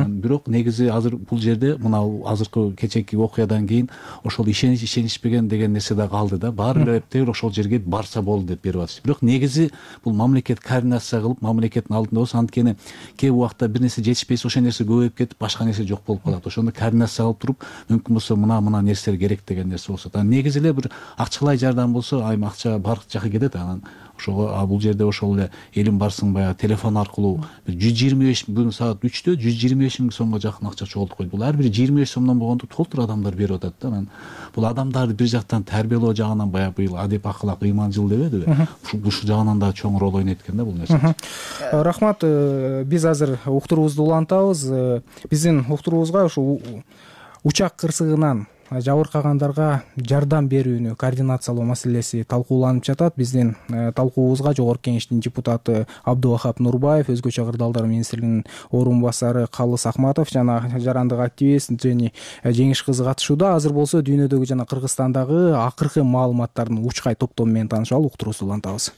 Бирок негизи азыр бул жерде мына азыркы кечээки окуядан кийин ошол ишенич ишенишпеген деген нерсе да калды да. Баары эле эптеп ошол жерге барса болду деп берип атышты. Бирок негизи бул мамлекет координация кылып, мамлекеттин алдында болсо, анткени кээ убакта бир нерсе жетишпейси ошол нерсе көбөйүп кетип, башка нерсе жок болуп калат. Ошондо координация кылып туруп, мүмкүн болсо мына мына нерселер керек деген нерсе болсо, анан негизи эле бир акчалай жардам болсо, айым акча бар жака кетет. Анан ошого бул жерде ошол эле элим барсың баягы телефон аркылуу бир жүз жыйырма беш бүгүн саат үчтө жүз жыйырма беш миң сомго жакын акча чогултуп койду. Бул ар бир жыйырма беш сомдон болгондо толтур адамдар берип атат да. Анан бул адамдарды бир жактан тарбиялоо жагынан баягы быйыл адеп акылак ыйманчыл дебедиби? Ушул жагынан да чоң роль ойнойт экен да бул нерсе. Рахмат. Биз азыр уктуруубузду улантабыз. Биздин уктуруубузга ушу учак кырсыгынан жабыркагандарга жардам берүүнү координациялоо маселеси талкууланып жатат. Биздин талкуубузга Жогорку Кеңештин депутаты Абдубахап Нурбаев, Өзгөчө кырдаалдар министринин орун басары Калыс Акматов жана жарандык активист Жени Жеңиш кызы катышууда. Азыр болсо дүйнөдөгү жана Кыргызстандагы акыркы маалыматтардын учкай топтому менен таанышалы уктуруубузду улантабыз.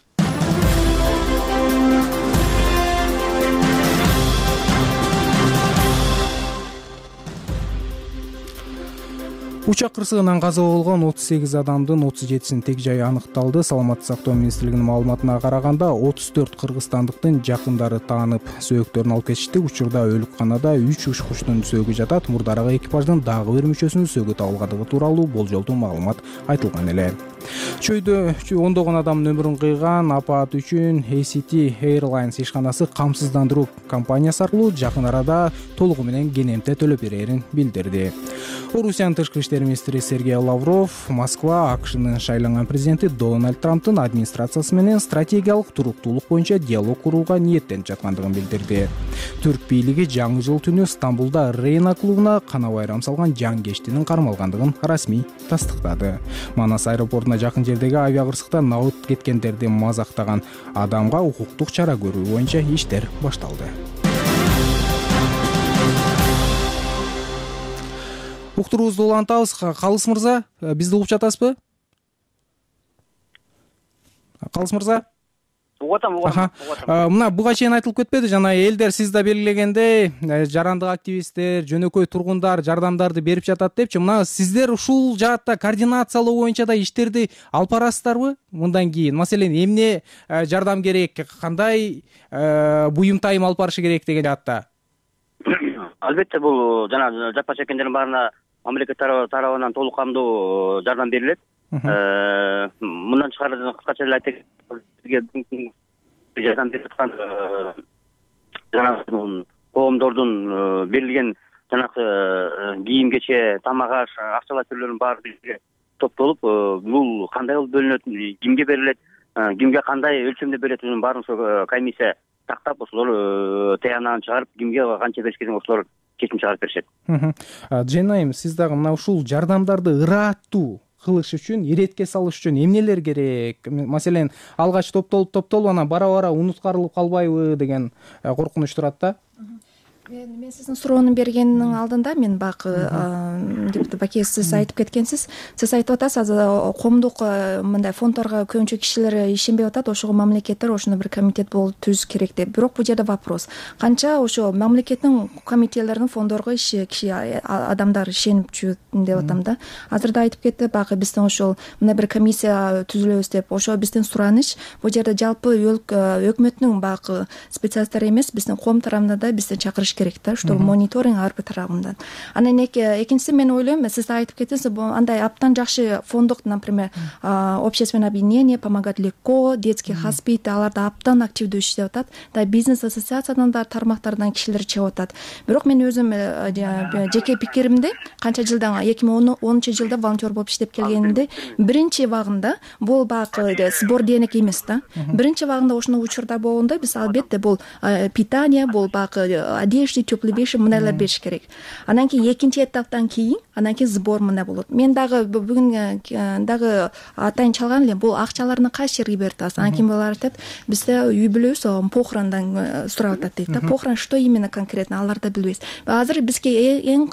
Учак кырсыгынан каза болгон отуз сегиз адамдын отуз жетисинин тег жайы аныкталды. Саламаттык сактоо министрлигинин маалыматына караганда отуз төрт кыргызстандыктын жакындары таанып сөөктөрүн алып кетишти. Учурда өлүкканада үч учкучтун сөөгү жатат. Мурдарагы экипаждын дагы бир мүчөсүнүн сөөгү табылгандыгы тууралуу болжолдуу маалымат айтылган эле. Чөйдө ондогон адамдын өмүрүн кыйган апат үчүн эй си ти Airlines ишканасы камсыздандыруу компаниясы аркылуу жакын арада толугу менен кенемте төлөп берерин билдирди. Орусиянын тышкы иштер министри Сергей Лавров Москва АКШнын шайланган президенти Дональд Трамптын администрациясы менен стратегиялык туруктуулук боюнча диалог курууга ниеттенип жаткандыгын билдирди. Түрк бийлиги жаңы жыл түнү Стамбулда Рейна клубуна кана байрам салган жангечтинин кармалгандыгын расмий тастыктады. Манас аэропортуна жакын жердеги авиа кырсыкта набыт кеткендерди мазактаган адамга укуктук чара көрүү боюнча иштер башталды. Уктуруубузду улантабыз. Калыс мырза, бизди угуп жатасызбы? Калыс мырза? Угуп атам, угуп атам. Мына буга чейин айтылып кетпеди, жана элдер сиз да белгилегендей, жарандык активисттер, жөнөкөй тургундар жардамдарды берип жатат депчи. Мына сиздер ушул жаатта координациялоо боюнча да иштерди алып барасыздарбы? Мындан кийин, маселен, эмне жардам керек, кандай буюм тайым алып барышы керек деген жаатта? Албетте, бул жана жапа чеккендердин баарына мамлекет тарабынан толук камдуу жардам берилет. Мындан тышкары кыскача эле айтайын, жардам берип аткан жанагы коомдордун берилген жанагы кийим кече, тамак аш, акчалай түрлөрүнүн баары бизге топтолуп, бул кандай болуп бөлүнөт, кимге берилет, кимге кандай өлчөмдө берилетинин баарын ошо комиссия тактап, ошолор таянагын чыгарып, кимге канча бериш керек ошолор чечим чыгарып беришет. Жена айым, сиз дагы мына ушул жардамдарды ырааттуу кылыш үчүн, иретке салыш үчүн эмнелер керек? Маселен, алгач топтолуп топтолуп анан бара-бара унуткарылып калбайбы деген коркунуч турат да. Мен мен сиздин суроону бергендин алдында мен бак Баке сиз айтып кеткенсиз. Сиз айтып атасыз, азыр коомдук мындай фонддорго көбүнчө кишилер ишенбей атат, ошого мамлекеттер ошондой бир комитет болуп түзүш керек деп. Бирок бул жерде вопрос. Канча ошо мамлекеттин комитеттеринин фонддорго иши киши адамдар ишенип жүрөт деп атам да. Азыр да айтып кетти, бак биздин ошол мындай бир комиссия түзүлөбүз деп. Ошо биздин сураныч бул жерде жалпы өкмөттүн бак специалисттери эмес, биздин коом тарабынан да бизди чакырыш керек да, что мониторинг ар бир тарабынан. Анан экинчиси мен ойлойм, сиз айтып кеттиңиз, андай абдан жакшы фонддук, например, общественное объединение помогать легко, детский хоспит, аларда абдан активдүү иштеп атат. Да, бизнес ассоциациядан да тармактардан кишилер чыгып атат. Бирок мен өзүм жеке пикиримде, канча жылдан эки миң онунчу жылда волонтер болуп иштеп келгенимде, биринчи вагында бул баягы сбор денег эмес да. Биринчи вагында ошондой учурда болгондо биз албетте бул питание, бул баягы одежда, теплый вещи мындайлар бериш керек. Анан кийин экинчи этаптан кийин анан кийин сбор мындай болот. Мен дагы бүгүн дагы атайын чалган элем, бул акчаларны кайсы жерге берип атасыз? Анан кийин булар айтат, бизде үй бүлөбүз похорондан сурап атат дейт да. Похорон что именно конкретно аларды билбейбиз. Азыр бизге эң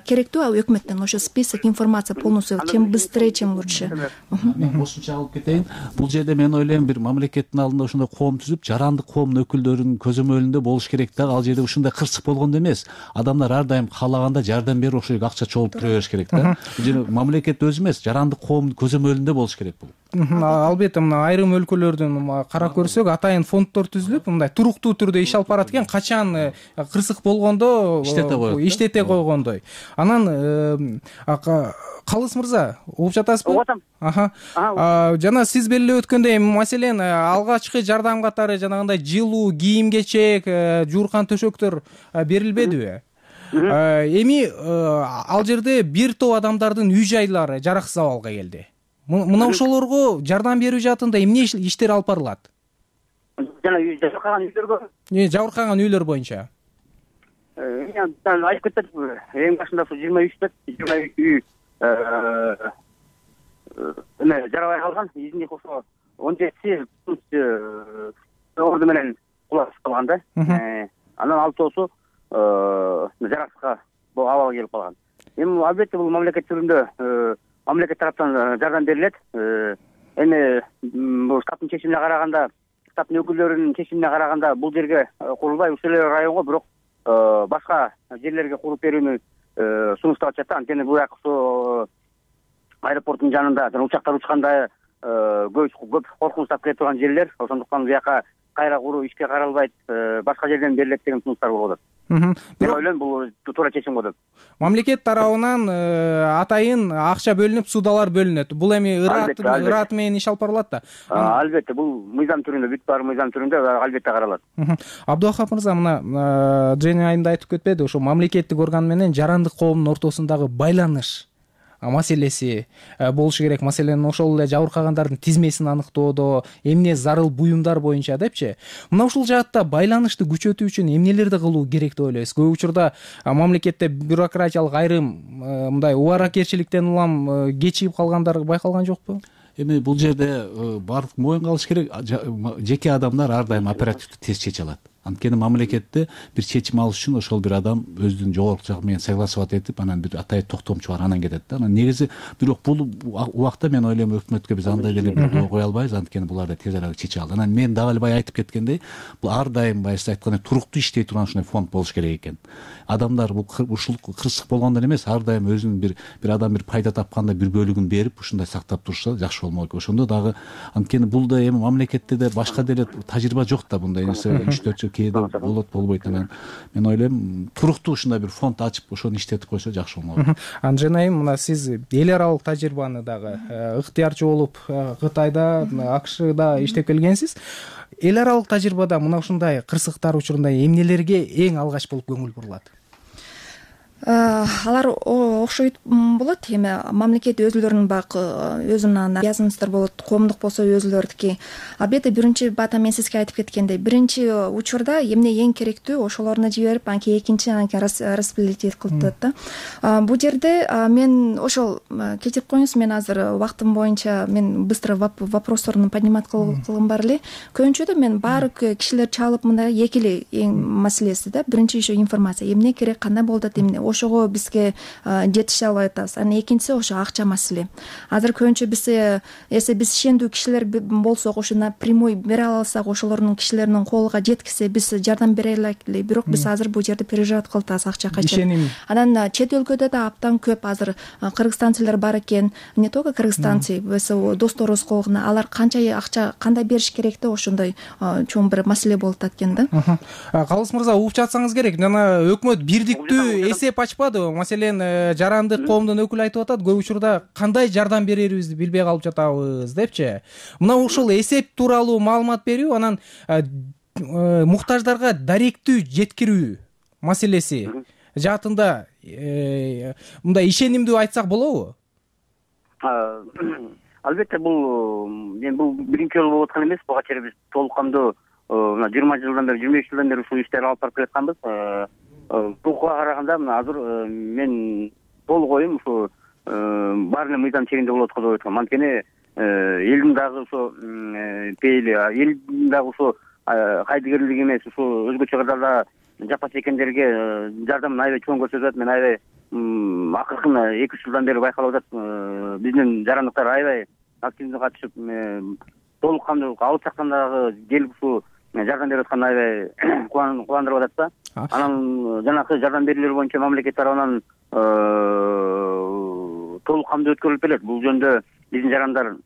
керектүү өкмөттөн ошо список, информация полностью, чем быстрее, чем лучше. Мен кошумча алып кетейин. Бул жерде мен ойлойм, бир мамлекеттин алдында ошондой коом түзүп, жарандык коомдун өкүлдөрүнүн көзөмөлүндө болуш керек да. Ал жерде ушундай кырсык болгондо эмес. Адамдар ар дайым каалаганда жардам берип ошо акча чогултуп тура бериш керек да. Бул жерде мамлекет өзү эмес, жарандык коомдун көзөмөлүндө болуш керек бул. Албетте мына айрым өлкөлөрдүн карап көрсөк, атайын фонддор түзүлүп, мындай туруктуу түрдө иш алып барат экен, качан кырсык болгондо иштете коет, иштете койгондой. Анан Калыс мырза, угуп жатасызбы? Угуп атам. Аха. Жана сиз белгилеп өткөндөй, маселен, алгачкы жардам катары жанагындай жылуу, кийим-кечек, жууркан төшөктөр берилбедиби? Эми ал жерде бир топ адамдардын үй жайлары жараксыз абалга келди. Мына ошолорго жардам берүү жаатында эмне иштер алып барылат? Жана жабыркаган үйлөргө. Не, жабыркаган үйлөр боюнча? Мен айтып кеттим, эң башында жыйырма үч деп, жыйырма үч үй эме жарабай калган. Изинде ошо он жетиси орду менен кулап калган да. Анан алтоосу жараксызга абалга келип калган. Эми албетте бул мамлекет түрүндө мамлекет тараптан жардам берилет. Эми бул штабтын чечимине караганда, штабтын өкүлдөрүнүн чечимине караганда бул жерге курулбай ушул эле районго, бирок башка жерлерге куруп берүүнү сунуштап атышат. Анткени бул жак ошо аэропорттун жанында, жана учактар учканда көп коркунучтап келе турган жерлер. Ошондуктан бул жака кайра куруу ишке каралбайт, башка жерден берилет деген сунуштар болуп атат. Мен ойлойм, бул туура чечим го деп. Мамлекет тарабынан атайын акча бөлүнүп, судалар бөлүнөт. Бул эми ырат менен иш алып барылат да. Албетте, бул мыйзам түрүндө, бүт баары мыйзам түрүндө албетте каралат. Абдувахап мырза, мына Жени айында айтып кетпеди, ошо мамлекеттик орган менен жарандык коомдун ортосундагы байланыш маселеси болушу керек. Маселен, ошол эле жабыркагандардын тизмесин аныктоодо, эмне зарыл буюмдар боюнча депчи. Мына ушул жаатта байланышты күчөтүү үчүн эмнелерди кылуу керек деп ойлойсуз? Көп учурда мамлекетте бюрократиялык айрым мындай убаракерчиликтен улам кечигип калгандар байкалган жокпу? Эми бул жерде бардык моюнга алыш керек. Жеке адамдар ар дайым оперативдүү тез чече алат. Анткени мамлекетте бир чечим алыш үчүн ошол бир адам өзүнүн жогорку жагы менен согласовать этип, анан бир атайын токтомчу бар, анан кетет да. Анан негизи бирок бул убакта мен ойлойм, өкмөткө биз андай деле бир ой кое албайбыз, анткени буларды тез арада чече алды. Анан мен дагы эле бая айтып кеткендей, бул ар дайым баягы айткандай туруктуу иштей турган ушундай фонд болуш керек экен. Адамдар бул ушул кырсык болгондон эмес, ар дайым өзүнүн бир бир адам бир пайда тапканда бир бөлүгүн берип, ушундай сактап турса жакшы болмок экен. Ошондо дагы, анткени бул да эми мамлекетте да башка деле тажрыйба жок да, мындай нерсе үч төрт жыл кээде болот болбойт. Анан мен ойлойм, туруктуу ушундай бир фонд ачып, ошону иштетип койсо жакшы болмок. Анжен айым, мына сиз эл аралык тажрыйбаны дагы ыктыярчы болуп Кытайда, АКШда иштеп келгенсиз. Эл аралык тажрыйбада мына ушундай кырсыктар учурунда эмнелерге эң алгач болуп көңүл бурулат? Алар окшойт болот. Эми мамлекет өзүлөрүнүн бак өзүнүн язмыштар болот, коомдук болсо өзүлөрдүки. Албетте биринчи бата мен сизге айтып кеткендей, биринчи учурда эмне эң керектүү ошолоруна жиберип, анан кийин экинчи анан распределить кылып да. Бул жерде мен ошол кечирип коюңуз, мен азыр убактым боюнча мен быстро вопросторун поднимать кылгым бар эле. Көбүнчөдө мен баары кишилер чалып мындай эки эле эң маселеси да. Биринчи ошо информация, эмне керек, кандай болот, эмне ошого бизге жетише албай атабыз. Анан экинчиси ошо акча маселе. Азыр көбүнчө биз эсе биз ишендүү кишилер болсок, ошо напрямую бере алсак, ошолордун кишилердин колуна жеткисе биз жардам бере алайлык. Бирок биз азыр бул жерде переживать кылып атабыз акча качан. Анан чет өлкөдө да абдан көп азыр кыргызстанцылар бар экен. Не только кыргызстанцы, досторубуз колуна алар канча акча кандай бериш керек деп ошондой чоң бир маселе болуп атат экен да. Калыс мырза, угуп жатсаңыз керек. Жана өкмөт бирдиктүү эсеп ачпады. Маселен, жарандык коомдун өкүлү айтып атат, көп учурда кандай жардам берерибизди билбей калып жатабыз депчи. Мына ушул эсеп тууралуу маалымат берүү, анан муктаждарга даректүү жеткирүү маселеси жаатында мындай ишенимдүү айтсак болобу? Албетте, бул мен бул биринчи жолу болуп аткан эмес. Буга чейин биз толук кандуу мына жыйырма жылдан бери, жыйырма беш жылдан бери ушул иштерди алып барып келатканбыз. Буга караганда мына азыр мен толук оюм ушу баары эле мыйзам чегинде болот го деп айткам. Анткени элдин дагы ошо пейили, элдин дагы ошо кайдыгерлиги эмес, ушул өзгөчө кырдаалда жапа чеккендерге жардамын аябай чоң көрсөтүп атат. Мен аябай акыркы эки үч жылдан бери байкалып атат. Биздин жарандыктар аябай активдүү катышып, толук кандуу алыс жактан дагы келип ушул жардам берип атканы аябай кубандырып атат да. Анан жанакы жардам берүүлөр боюнча мамлекет тарабынан толук кандуу өткөрүлүп келет. Бул жөнүндө биздин жарандар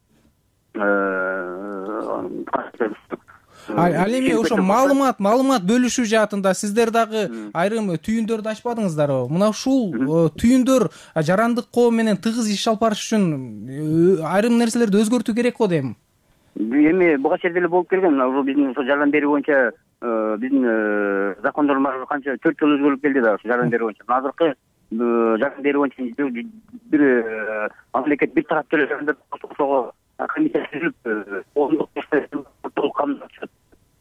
Ал эми ошо маалымат маалымат бөлүшүү жаатында сиздер дагы айрым түйүндөрдү ачпадыңыздарбы? Мына ушул түйүндөр жарандык коом менен тыгыз иш алып барыш үчүн айрым нерселерди өзгөртүү керек го дейм. Эми буга чейин деле болуп келген. Мына биздин ошо жардам берүү боюнча биздин закондор канча төрт жолу өзгөрүлүп келди да, ошо жардам берүү боюнча. Азыркы жардам берүү боюнча бир мамлекет бир тараптуу эле ошого комиссия түзүлүп, коомдук толук кандуу чыгат.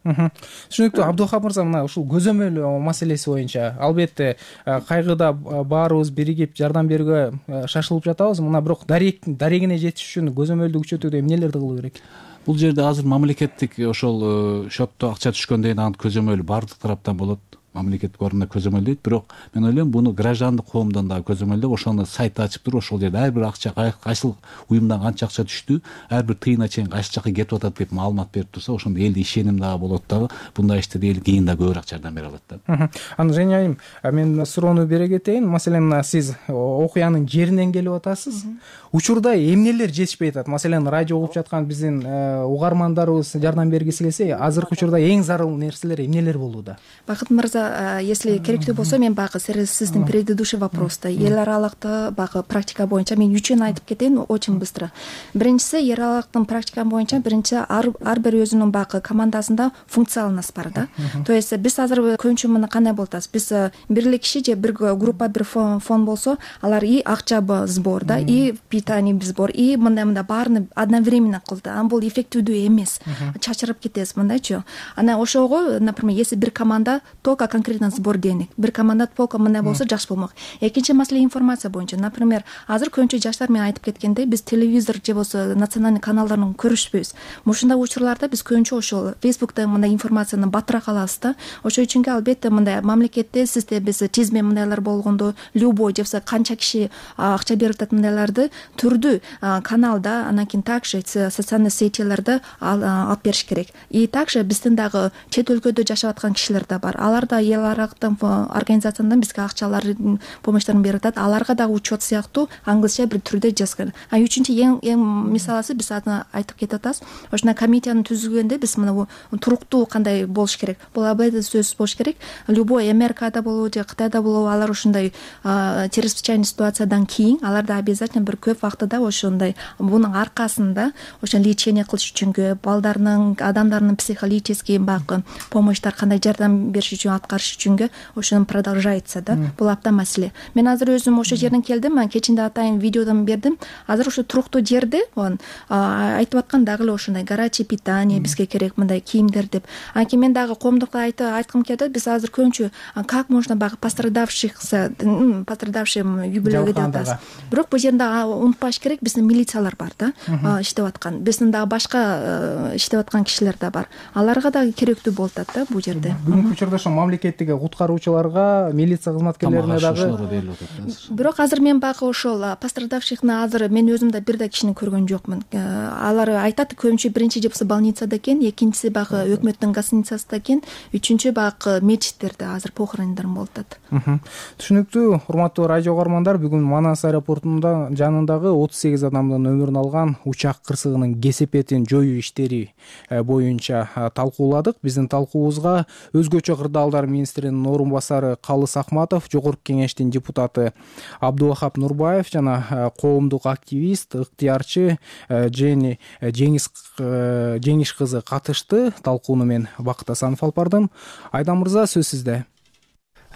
Түшүнүктүү. Абдухап мырза, мына ушул көзөмөл маселеси боюнча албетте кайгыда баарыбыз биригип жардам берүүгө шашылып жатабыз. Мына бирок дарегине жетиш үчүн көзөмөлдү күчөтүүдө эмнелерди кылуу керек? Бул жерде азыр мамлекеттик ошол счетто акча түшкөндөн кийин анын көзөмөлү баардык тараптан болот. Мамлекеттик орунда көзөмөлдөйт, бирок мен ойлойм буну граждандык коомдон дагы көзөмөлдөп, ошону сайт ачып туруп, ошол жерде ар бир акча кайсыл уюмдан канча акча түштү, ар бир тыйына чейин кайсы жака кетип атат деп маалымат берип турса, ошондо элде ишеним дагы болот дагы, bunday иштерде эл кийин да көбүрөөк жардам бере алат да. Анан Женя айым, мен суроону бере кетейин. Маселен, сиз окуянын жеринен келип атасыз. Учурда эмнелер жетишпей атат? Маселен, радио угуп жаткан биздин угармандарыбыз жардам бергиси келсе, азыркы учурда эң зарыл нерселер эмнелер болууда? Бакыт мырза, если керектүү болсо, мен багы сиздин предыдущий вопросто эл аралыкта багы практика боюнча мен үчүн айтып кетейин очень быстро. Биринчиси, эл аралыктын практика боюнча биринчи ар бир өзүнүн багы командасында функцияланасы бар да. То есть биз азыр көбүнчө мына кандай болуп атабыз? Биз бир эле киши же бир группа, бир фонд болсо, алар и акча сбор да, и питание сбор, и мындай-мындай баарын одновременно кылды. Анан бул эффективдүү эмес. Чачырып кетесиз мындайчы. Анан ошого, например, если бир команда только конкретно сбор денег, бир команда полка мындай болсо жакшы болмок. Экинчи маселе информация боюнча. Например, азыр көбүнчө жаштар мен айтып кеткендей, биз телевизор же болсо национальный каналдарын көрүшпөйбүз. Ушундай учурларда биз көбүнчө ошол Facebook'та мындай информацияны батыраак алабыз да. Ошол үчүн албетте мындай мамлекетте сизде биз тизме мындайлар болгондо, любой же болсо канча киши акча берип атат мындайларды түрдүү каналда, анан кийин также социальный сетилерде алып бериш керек. И также биздин дагы чет өлкөдө жашап аткан кишилер да бар. Алар да эл аралыктын организациядан бизге акчалардын помощьтарын берип атат. Аларга дагы учет сыяктуу англисче бир түрдө жазган. А үчүнчү эң эң мисалысы биз айтып кетип атабыз. Ошондой комиссияны түзгөндө биз мына туруктуу кандай болуш керек. Бул абайда сөзсүз болуш керек. Любой Америкада болобу же Кытайда болобу, алар ошондой чрезвычайный ситуациядан кийин аларда обязательно бир көп вактыда ошондой бунун аркасында ошо лечение кылыш үчүнгө, балдарынын, адамдардын психологический багы помощьтар кандай жардам бериш үчүн аткарыш үчүнгө ошону продолжается да. Бул абдан маселе. Мен азыр өзүм ошо жерден келдим, кечинде атайын видеодон бердим. Азыр ошо туруктуу жерде айтып аткан дагы эле ошондой горячее питание бизге керек, мындай кийимдер деп. Анткени мен дагы коомдукка айткым келет, биз азыр көбүнчө как можно багы пострадавших пострадавшим юбилейге деп атабыз. Бирок бул жерде унутпаш керек, биздин милициялар бар да, иштеп аткан. Биздин дагы башка иштеп аткан кишилер да бар. Аларга дагы керектүү болуп атат да бул жерде. Бүгүнкү учурда ошо аракеттеги куткаруучуларга, милиция кызматкерлерине дагы делип атат азыр. Бирок азыр мен багы ошол пострадавшихны азыр мен өзүм да бир да кишини көргөн жокмун. Алар айтат көбүнчө биринчи жепси больницада экен, экинчиси багы өкмөттүн гостиницасында экен, үчүнчү багы мечиттерде азыр похорондар болуп атат. Түшүнүктүү. Урматтуу радио угармандар, бүгүн Манас аэропортунда жанындагы отуз сегиз адамдын өмүрүн алган учак кырсыгынын кесепетин жоюу иштери боюнча талкууладык. Биздин талкуубузга өзгөчө кырдаалдар министринин орун басары Калыс Акматов, Жогорку Кеңештин депутаты Абдубахап Нурбаев жана коомдук активист, ыктыярчы Жени Жеңиш Жеңиш кызы катышты. Талкууну мен Бакыт Асанов алып бардым. Айдан мырза, сөз сизде.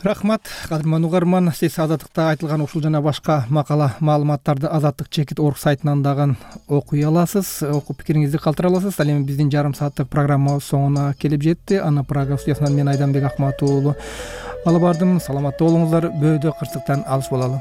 Рахмат, кадырман угарман. Сиз Азаттыкта айтылган ушул жана башка макала маалыматтарды Азаттык чекит орг сайтынан дагы окуй аласыз, окуп пикириңизди калтыра аласыз. Ал эми биздин жарым сааттык программа соңуна келип жетти. Аны Прага студиясынан мен Айданбек Акматов уулу алып бардым. Саламатта болуңуздар, бөөдө кырсыктан алыс бололу.